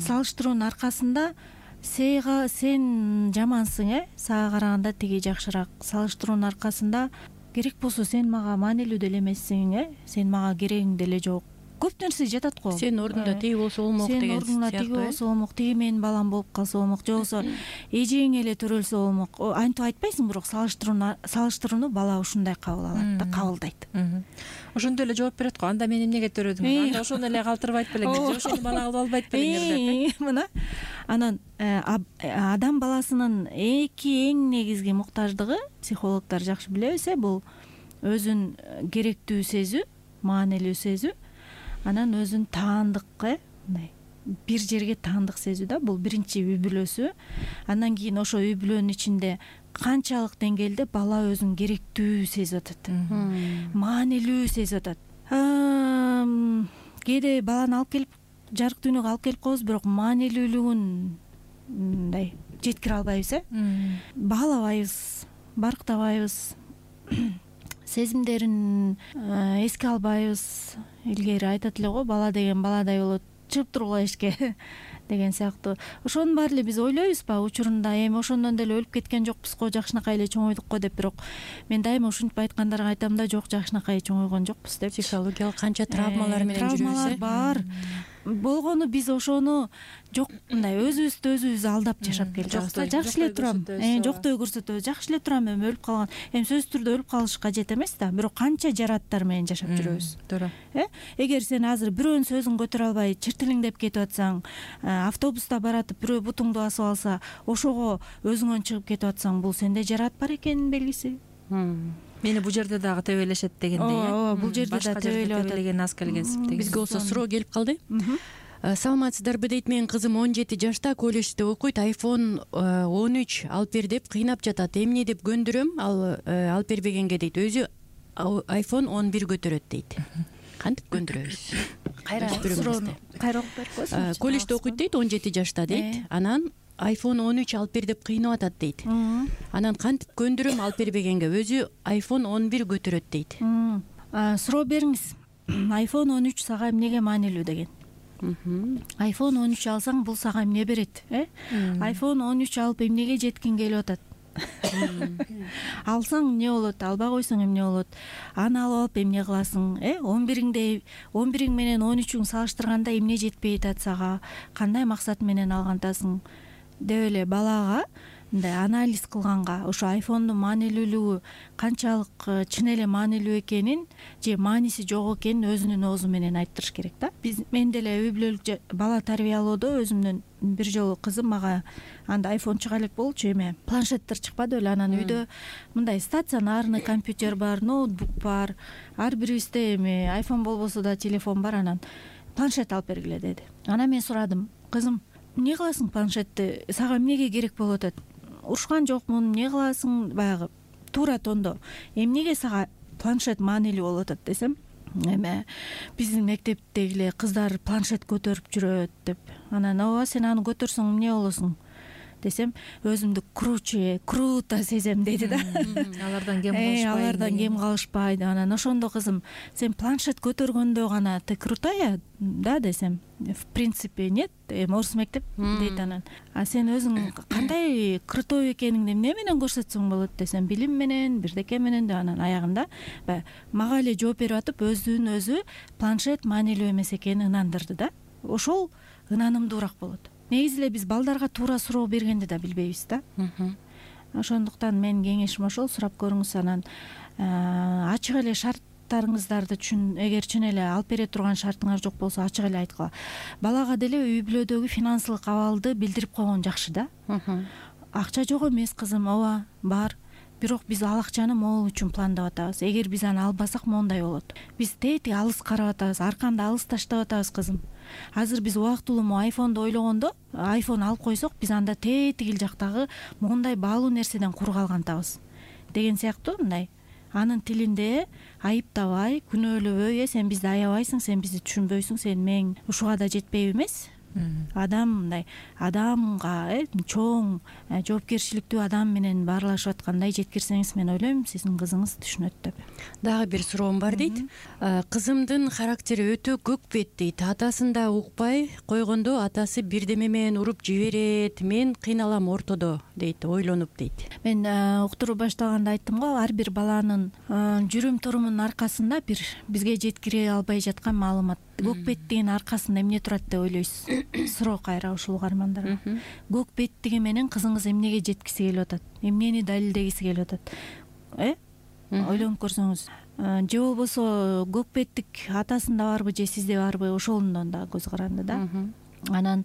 Салыштыруунун аркасында сен жамансың, сага караганда тиги жакшыраак. Салыштыруунун аркасында керек болсо сен мага маанилүү деле эмессиң, сен мага керегиң деле жок көп нерсе жатат го. Сенин ордуңда тиги болсо болмок деген сенин ордуңда тиги болсо болмок, тиги менин балам болуп калса болмок, же болбосо эжең эле төрөлсө болмок. Антип айтпайсың, бирок салыштырууну бала ушундай кабыл алат да, кабылдайт. Ошондой эле жооп берет го. Анда мен эмнеге төрөдүм? Анда ошону эле калтырбайт белең, же ошону бала кылып албайт белең деп. Мына анан адам баласынын эң негизги муктаждыгы, психологдор жакшы билебиз, бул өзүн керектүү сезүү, маанилүү сезүү, анан өзүн таандык, мындай бир жерге таандык сезүү да. Бул биринчи үй бүлөсү. Андан кийин ошо үй бүлөнүн ичинде канчалык деңгээлде бала өзүн керектүү сезип атат, маанилүү сезип атат. Кээде баланы алып келип жарык дүйнөгө алып келип коебуз, бирок маанилүүлүгүн мындай жеткире албайбыз, баалабайбыз, барктабайбыз, сезимдерин эске албайбыз. Илгери айтат эле го, бала деген баладай болот, чыгып тургула эшикке деген сыяктуу. Ошонун баары эле биз ойлойбузбу учурунда, эми ошондон деле өлүп кеткен жокпуз го, жакшынакай эле чоңойдук го деп. Бирок мен дайыма ушинтип айткандарга айтам да, жок, жакшынакай чоңойгон жокпуз деп. Психологиялык канча травмалар менен жүрөбүз. Травмалар бар. Болгону биз ошону жок, мындай өзүбүздү өзүбүз алдап жашап келдик. Жакшы эле турам, жоктой көрсөтөбүз, жакшы эле турам, эми өлүп калган. Эми сөзсүз түрдө өлүп калыш кажет эмес да, бирок канча жараттар менен жашап жүрөбүз. Туура. Эгер сен азыр бирөөнүн сөзүн көтөрө албай чиртилиңдеп кетип атсаң, автобуста баратып бирөө бутуңду басып алса, ошого өзүңөн чыгып кетип атсаң, бул сенде жарат бар экенин белгиси. Мени бул жерде дагы тебелешет дегендей. Ооба, бул жерде да тебелеген аз келгенсип деген. Бизге болсо суроо келип калды. Саламатсыздарбы дейт, менин кызым 17 жашта, колледжде окуйт, iPhone 13 алып бер деп кыйнап жатат. Эмне деп көндүрөм, ал алып бербегенге дейт. Өзү iPhone 11 көтөрөт дейт. Кантип көндүрөбүз? Кайра окуп берип койсуңчу. Колледжде окуйт дейт, 17 жашта дейт. Анан iPhone 13 алып бер деп кыйнап атат дейт. Анан кантип көндүрөм алып бербегенге? Өзү iPhone 11 көтөрөт дейт. Суроо бериңиз. iPhone 13 сага эмнеге маанилүү деген. iPhone 13 алсаң бул сага эмне берет? iPhone 13 алып эмнеге жеткиң келип атат? Алсаң эмне болот, албай койсоң эмне болот? Аны алып эмне кыласың? 11иң менен 13үң салыштырганда эмне жетпей атат сага? Кандай максат менен алгантасың? Деп эле балага мындай анализ кылганга, ошо айфондун маанилүүлүгү канчалык чын эле маанилүү экенин же мааниси жок экенин өзүнүн оозу менен айттырыш керек да. Мен деле үй бүлөлүк бала тарбиялоодо өзүмдүн бир жолу кызым мага анда айфон чыга элек болчу, эме планшеттер чыкпады беле. Анан үйдө мындай стационарный компьютер бар, ноутбук бар, ар бирибизде эми айфон болбосо да телефон бар. Анан планшет алып бергиле деди. Анан мен сурадым, кызым, эмне кыласың планшетти, сага эмнеге керек болуп атат? Урушкан жокмун, эмне кыласың? Баягы туура тондо эмнеге сага планшет маанилүү болуп атат десем, эме биздин мектептеги эле кыздар планшет көтөрүп жүрөт деп. Анан ооба, сен аны көтөрсөң эмне болосуң десем, өзүмдү круто сезем деди да. Алардан кем калышпайт. Алардан кем калышпайт. Анан ошондо кызым, сен планшет көтөргөндө гана ты крутая да десем, в принципе нет, орус мектеп дейт. Анан сен өзүң кандай крутой экениңди эмне менен көрсөтсөң болот десем, билим менен, бирдеке менен деп. Анан аягында мага эле жооп берип атып, өзүн өзү планшет маанилүү эмес экенин ынандырды да. Ошол ынанымдуураак болот. Негизи эле биз балдарга туура суроо бергенди да билбейбиз да. Ошондуктан менин кеңешим ошол, сурап көрүңүз. Анан ачык эле шарттарыңыздарды эгер чын эле алып бере турган шартыңар жок болсо ачык эле айткыла. Балага деле үй бүлөдөгү финансылык абалды билдирип койгон жакшы да. Акча жок эмес кызым, ооба бар, бирок биз ал акчаны могул үчүн пландап атабыз. Эгер биз аны албасак моундай болот. Биз тетиги алыс карап атабыз, арканды алыс таштап атабыз кызым. Азыр биз убактылуу айфонду ойлогондо, айфон алып койсок, биз анда тетигил жактагы моундай баалуу нерседен кур калгантабыз деген сыяктуу. Мындай анын тилинде айыптабай, күнөөлөбөй, сен бизди аябайсың, сен бизди түшүнбөйсүң, сен мээң ушуга да жетпейби эмес. Адам мындай адамга чоң жоопкерчиликтүү адам менен баарлашып аткандай жеткирсеңиз, мен ойлойм сиздин кызыңыз түшүнөт деп. Дагы бир суроом бар дейт. Кызымдын характери өтө көкпет дейт. Атасын да укпай койгондо атасы бирдеме менен уруп жиберет. Мен кыйналам ортодо дейт, ойлонуп дейт. Мен уктуруу баштаганда айттым го, ар бир баланын жүрүм турумунун аркасында бир бизге жеткире албай жаткан маалымат көк беттигин аркасында эмне турат деп ойлойсуз? Суроо кайра ушул угармандарга. Көк беттиги менен кызыңыз эмнеге жеткиси келип атат? Эмнени далилдегиси келип атат? Ойлонуп көрсөңүз, же болбосо көк беттик атасында барбы же сизде барбы, ошондон да көз каранды да. Анан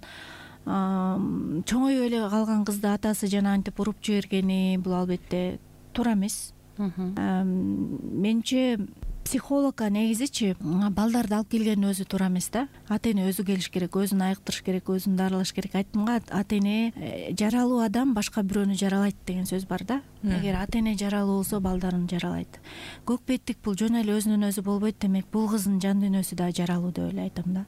чоңоюп эле калган кызды атасы жана антип уруп жибергени бул албетте туура эмес. Менимче психологко негизичи балдарды алып келгендин өзү туура эмес да. Ата эне өзү келиш керек, өзүн айыктырыш керек, өзүн дарылаш керек. Айттым го, ата эне жаралуу адам башка бирөөнү жаралайт деген сөз бар да. Эгер ата эне жаралуу болсо, балдарын жаралайт. Көк беттик бул жөн эле өзүнөн өзү болбойт, демек бул кыздын жан дүйнөсү да жаралуу деп эле айтам да.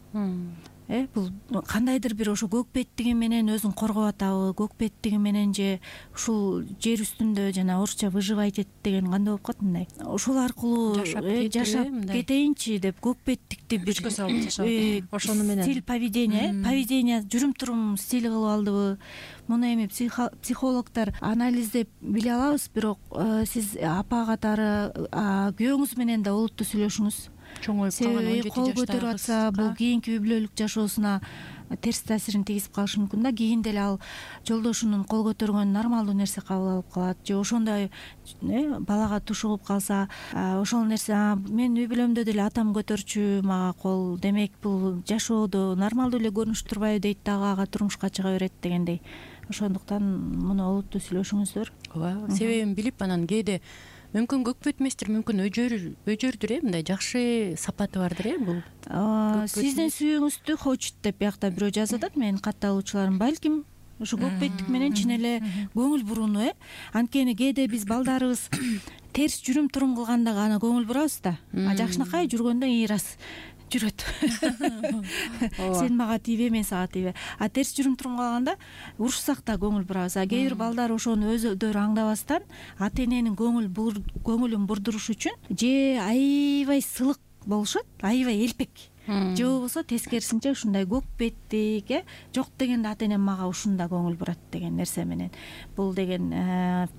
Бул кандайдыр бир ошо көк беттиги менен өзүн коргоп атабы, көк беттиги менен же ушул жер үстүндө жана орусча выживать этти деген кандай болуп калат мындай. Ошол аркылуу жашап кетейинчи деп көк беттикти бир күчкө салып жашап, ошону менен стиль поведение жүрүм-турум стили кылып алдыбы? Муну эми психологдор анализдеп биле алабыз, бирок сиз апа катары күйөөңүз менен да олуттуу сүйлөшүңүз. Чоңоюп калган 17 жаштагы кол көтөрүп атса, бул кийинки үй бүлөлүк жашоосуна терс таасирин тийгизип калышы мүмкүн да. Кийинде эле ал жолдошунун кол көтөргөнүн нормалдуу нерсе кабыл алып калат, же ошондой балага туш угуп калса, ошол нерсе мен үй бүлөмдө деле атам көтөрчү мага кол, демек бул жашоодо нормалдуу эле көрүнүшүп турбайбы дейт дагы, ага турмушка чыга берет дегендей. Ошондуктан муну олуттуу сүйлөшүңүздөр. Ооба, себебин билип анан кээде мүмкүн көк бет эместир, мүмкүн өжөрдүр, мындай жакшы сапаты бардыр бул. Сиздин сүйүүңүздү хочет деп биякта бирөө жазып атат, менин катталуучуларым. Балким ушу көк беттик менен чын эле көңүл бурууну, анткени кээде биз балдарыбыз терс жүрүм-турум кылганда гана көңүл бурабыз да. Жакшынакай жүргөндө ыйрас жүрөт. Сен мага тийбе, мен сага тийбе. Терс жүрүм-турум калганда урушсак да көңүл бурабыз. Кээ бир балдар ошону өзүлөрү аңдабастан ата эненин көңүлүн бурдуруш үчүн же аябай сылык болушат, аябай элпек. Же болбосо тескерисинче ушундай көк беттик, жок дегенде ата энем мага ушунда көңүл бурат деген нерсе менен. Бул деген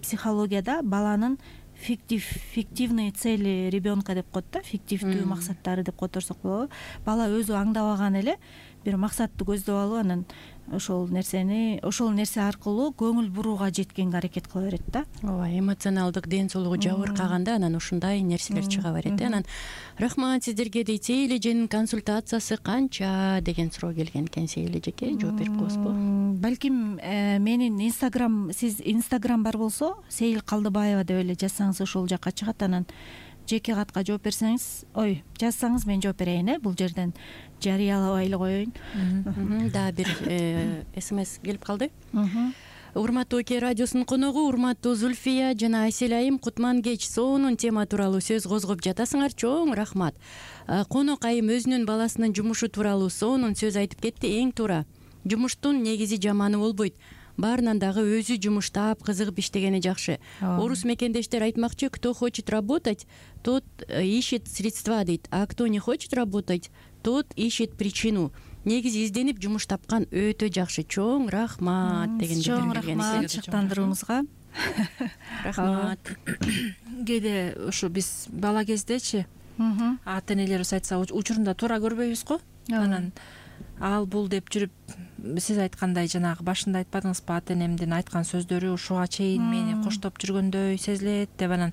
психологияда баланын фиктивные цели ребенка деп коет да, фиктивдүү максаттары деп которсок болобу. Бала өзү аңдабаган эле бир максатты көздөп алып, анан ошол нерсе аркылуу көңүл бурууга жеткенге аракет кыла берет да. Ооба, эмоционалдык ден соолугу жабыркаганда анан ушундай нерселер чыга берет. Анан рахмат сиздерге дейт. Сейилеженин консультациясы канча деген суроо келген экен. Сейилежеке жооп берип коесузбу? Балким менин сиз инстаграм бар болсо, Сейил Калдыбаева деп эле жазсаңыз ошол жакка чыгат. Анан жеке катка жооп берсеңиз, жазсаңыз мен жооп берейин, бул жерден жарыялабай эле коеюн. Дагы бир смс келип калды. Урматтуу ОК радиосунун коногу, урматтуу Зульфия жана Айсел айым, кутман кеч. Сонун тема тууралуу сөз козгоп жатасыңар, чоң рахмат. Конок айым өзүнүн баласынын жумушу тууралуу сонун сөз айтып кетти, эң туура. Жумуштун негизи жаманы болбойт. Баарынан дагы өзү жумуштап, кызыгып иштегени жакшы. Орус мекендештер айтмакчы, кто хочет работать, тот ищет средства дейт. А кто не хочет работать, тот ищет причину. Негизи изденип жумуш тапкан өтө жакшы. Чоң рахмат деген. Чоң рахмат чыктандырууңузга. Рахмат. Кээде ушу биз бала кездечи ата энелерибиз айтса учурунда туура көрбөйбүз го. Анан ал бул деп жүрүп, сиз айткандай жанагы башында айтпадыңызбы, ата энемдин айткан сөздөрү ушуга чейин мени коштоп жүргөндөй сезилет деп, анан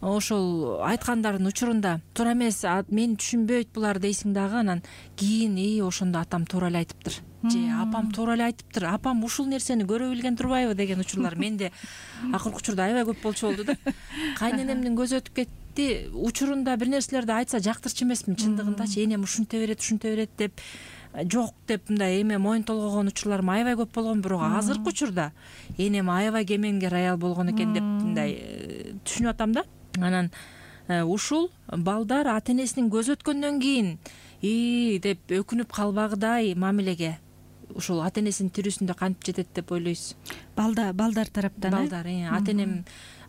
ошол айткандардын учурунда туура эмес, мени түшүнбөйт булар дейсиң дагы, анан кийин ошондо атам туура эле айтыптыр же апам туура эле айтыптыр, апам ушул нерсени көрө билген турбайбы деген учурлар менде акыркы учурда аябай көп болчу болду да. Кайненемдин көзү өтүп кетти, учурунда бир нерселерди айтса жактырчу эмесмин, чындыгындачы энем ушинте берет деп, жок деп мындай эме моюн толгогон учурларым аябай көп болгон, бирок азыркы учурда энем аябай кемеңгер аял болгон экен деп мындай түшүнүп атам да. Анан ушул балдар ата энесинин көзү өткөндөн кийин деп өкүнүп калбагыдай мамилеге ушул ата энесинин тирүүсүндө кантип жетет деп ойлойсуз? балдар тараптан балдар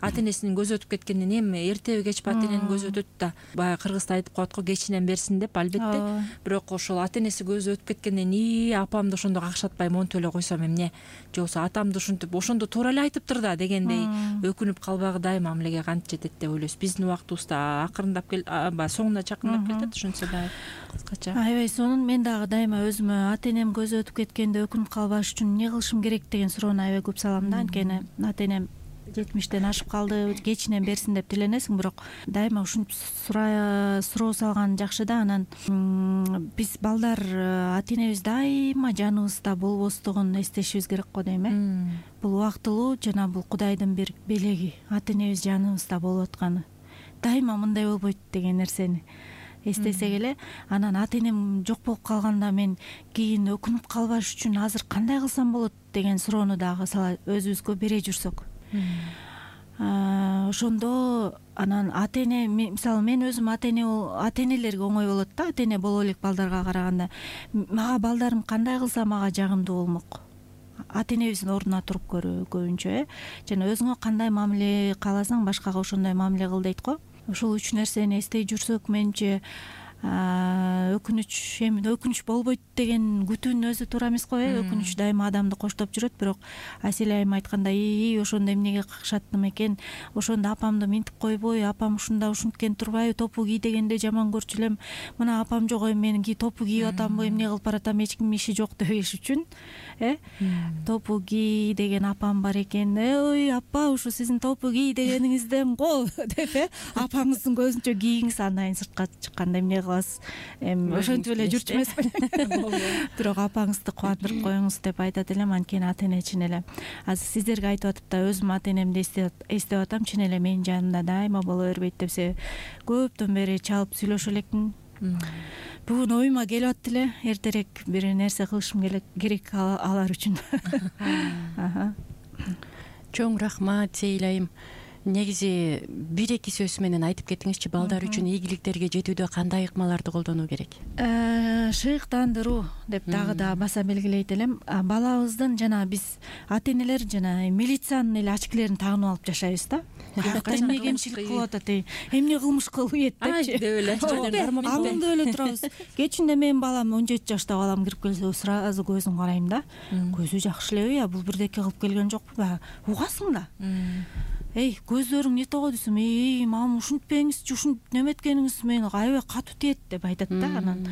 ата энесинин көзү өтүп кеткенден эми эртеби кечпи ата эненин көзү өтөт да, баягы кыргызда айтып коет го, кечинен берсин деп. Албетте, бирок ошол ата энеси көзү өтүп кеткенден апамды ошондо какшатпай монтип эле койсом эмне, же болбосо атамды ушинтип ошондо туура эле айтыптыр да дегендей өкүнүп калбагы дайыма мамилеге кантип жетет деп ойлойсуз. Биздин убактыбызда акырындап баягы соңуна чакындап кетет, ошентсе дагы кыскача. Аябай сонун. Мен дагы дайыма өзүмө ата энем көзү өтүп кеткенде өкүнүп калбаш үчүн эмне кылышым керек деген суроону аябай көп салам да. Анткени ата энем 70-тен ашып калды, кечинен берсин деп тиленесиң, бирок дайыма ушинтип суроо салган жакшы да. Анан биз балдар ата энебиз дайыма жаныбызда болбостугун эстешибиз керек го дейм. Бул убактылуу жана бул Кудайдын бир белеги, ата энебиз жаныбызда болуп атканы. Дайыма мындай болбойт деген нерсени эстесек эле, анан ата энем жок болуп калганда мен кийин өкүнүп калбаш үчүн азыр кандай кылсам болот деген суроону дагы өзүбүзгө бере жүрсөк, ошондо анан ата эне, мисалы мен өзүм ата энелерге оңой болот да, ата эне боло элек балдарга караганда. Мага балдарым кандай кылса мага жагымдуу болмок. Ата энебиздин ордуна туруп көрүү көбүнчө, жана өзүңө кандай мамиле кааласаң башкага ошондой мамиле кыл дейт го. Ушул үч нерсени эстей жүрсөк, менимче өкүнүч болбойт деген күтүүнүн өзү туура эмес го. Өкүнүч дайыма адамды коштоп жүрөт, бирок Асель айым айткандай, ошондо эмнеге какшаттым экен, ошондо апамды минтип койбой, апам ушунда ушинткен турбайбы, топу кий дегенде жаман көрчү элем, мына апам жок, мен топу кийип атамбы, эмне кылып баратам, эч кимдин иши жок дебеш үчүн топу кий деген апам бар экен, ой апа, ушу сиздин топу кий дегениңизден го деп апаңыздын көзүнчө кийиңиз, андан кийин сыртка чыкканда эмне эми ошентип эле жүрчү эмесмин. Бирок апаңызды кубандырып коюңуз деп айтат элем. Анткени ата эне чын эле азыр сиздерге айтып атып да, өзүм ата энемди эстеп атам, чын эле менин жанымда дайыма боло бербейт деп. Себеби көптөн бери чалып сүйлөшө элекмин. Бүгүн оюма келип атты эле, эртерээк бир нерсе кылышым керек алар үчүн. Чоң рахмат Сейил айым. Негизи бир-эки сөз менен айтып кетиңизчи, балдар үчүн ийгиликтерге жетүүдө кандай ыкмаларды колдонуу керек? Шыйыктандыруу деп дагы да баса белгилейт элем. Балабыздын жана биз ата энелер жана милициянын эле очкилерин тагынып алып жашайбыз да. Эмне кемчилик кылып атат, эмне кылмыш кылып депчи деп эле алыңдып эле турабыз. Кечинде менин балам 17 жаштагы балам кирип келсе, сразу көзүн карайм да. Көзү жакшы элеби, бул бирдеке кылып келген жокпу, угасың да. Көздөрүң не того десем, мам ушинтпеңизчи, ушинтип неметкениңиз мени аябай катуу тиет деп айтат да. Анан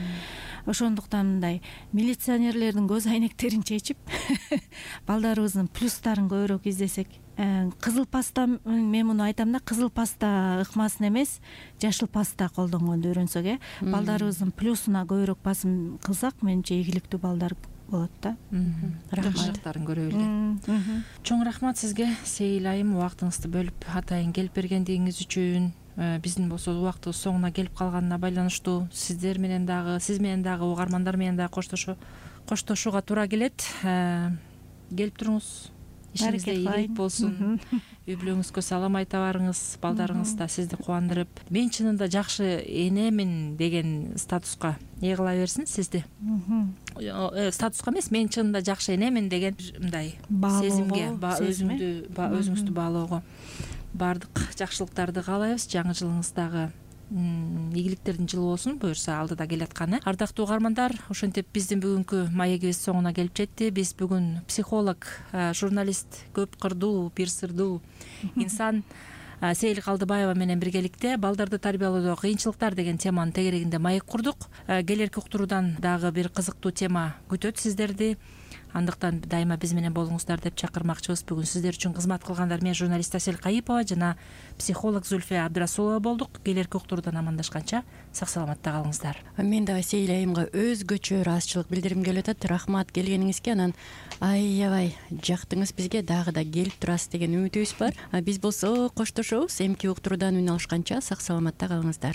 ошондуктан мындай милиционерлердин көз айнектерин чечип балдарыбыздын плюстарын көбүрөөк издесек. Кызыл паста, мен муну айтам да, кызыл паста ыкмасын эмес, жашыл паста колдонгонду үйрөнсөк, балдарыбыздын плюсуна көбүрөөк басым кылсак, менимче ийгиликтүү балдар болот да. Жакшылыктарын көрө билген. Чоң рахмат сизге Сейил айым, убактыңызды бөлүп атайын келип бергендигиңиз үчүн. Биздин болсо убактыбыз соңуна келип калганына байланыштуу сиз менен дагы угармандар менен дагы коштошууга туура келет. Келип туруңуз, ишиңизде ийгилик болсун, үй бүлөңүзгө салам айта барыңыз, балдарыңыз да сизди кубандырып, мен чынында жакшы энемин деген статуска ээ кыла берсин сизди. Статуска эмес, мен чынында жакшы энемин деген мындай сезимге, өзүңүздү баалоого, баардык жакшылыктарды каалайбыз. Жаңы жылыңыз дагы ийгиликтердин жылы болсун, буюрса алдыда келатканы. Ардактуу угармандар, ошентип биздин бүгүнкү маегибиз соңуна келип жетти. Биз бүгүн психолог, журналист, көп кырдуу, бир сырдуу инсан Сейил Калдыбаева менен биргеликте балдарды тарбиялоодо кыйынчылыктар деген теманын тегерегинде маек курдук. Келерки уктуруудан дагы бир кызыктуу тема күтөт сиздерди. Андыктан дайыма биз менен болуңуздар деп чакырмакчыбыз. Бүгүн сиздер үчүн кызмат кылгандар мен журналист Асель Кайыпова жана психолог Зульфия Абдрасулова болдук. Келерки уктуруудан амандашканча сак саламатта калыңыздар. Мен дагы Сейил айымга өзгөчө ыраазычылык билдиргим келип атат. Рахмат келгениңизге. Анан аябай жактыңыз бизге, дагы да келип турасыз деген үмүтүбүз бар. Биз болсо коштошобуз. Эмки уктуруудан үн алышканча сак саламатта калыңыздар.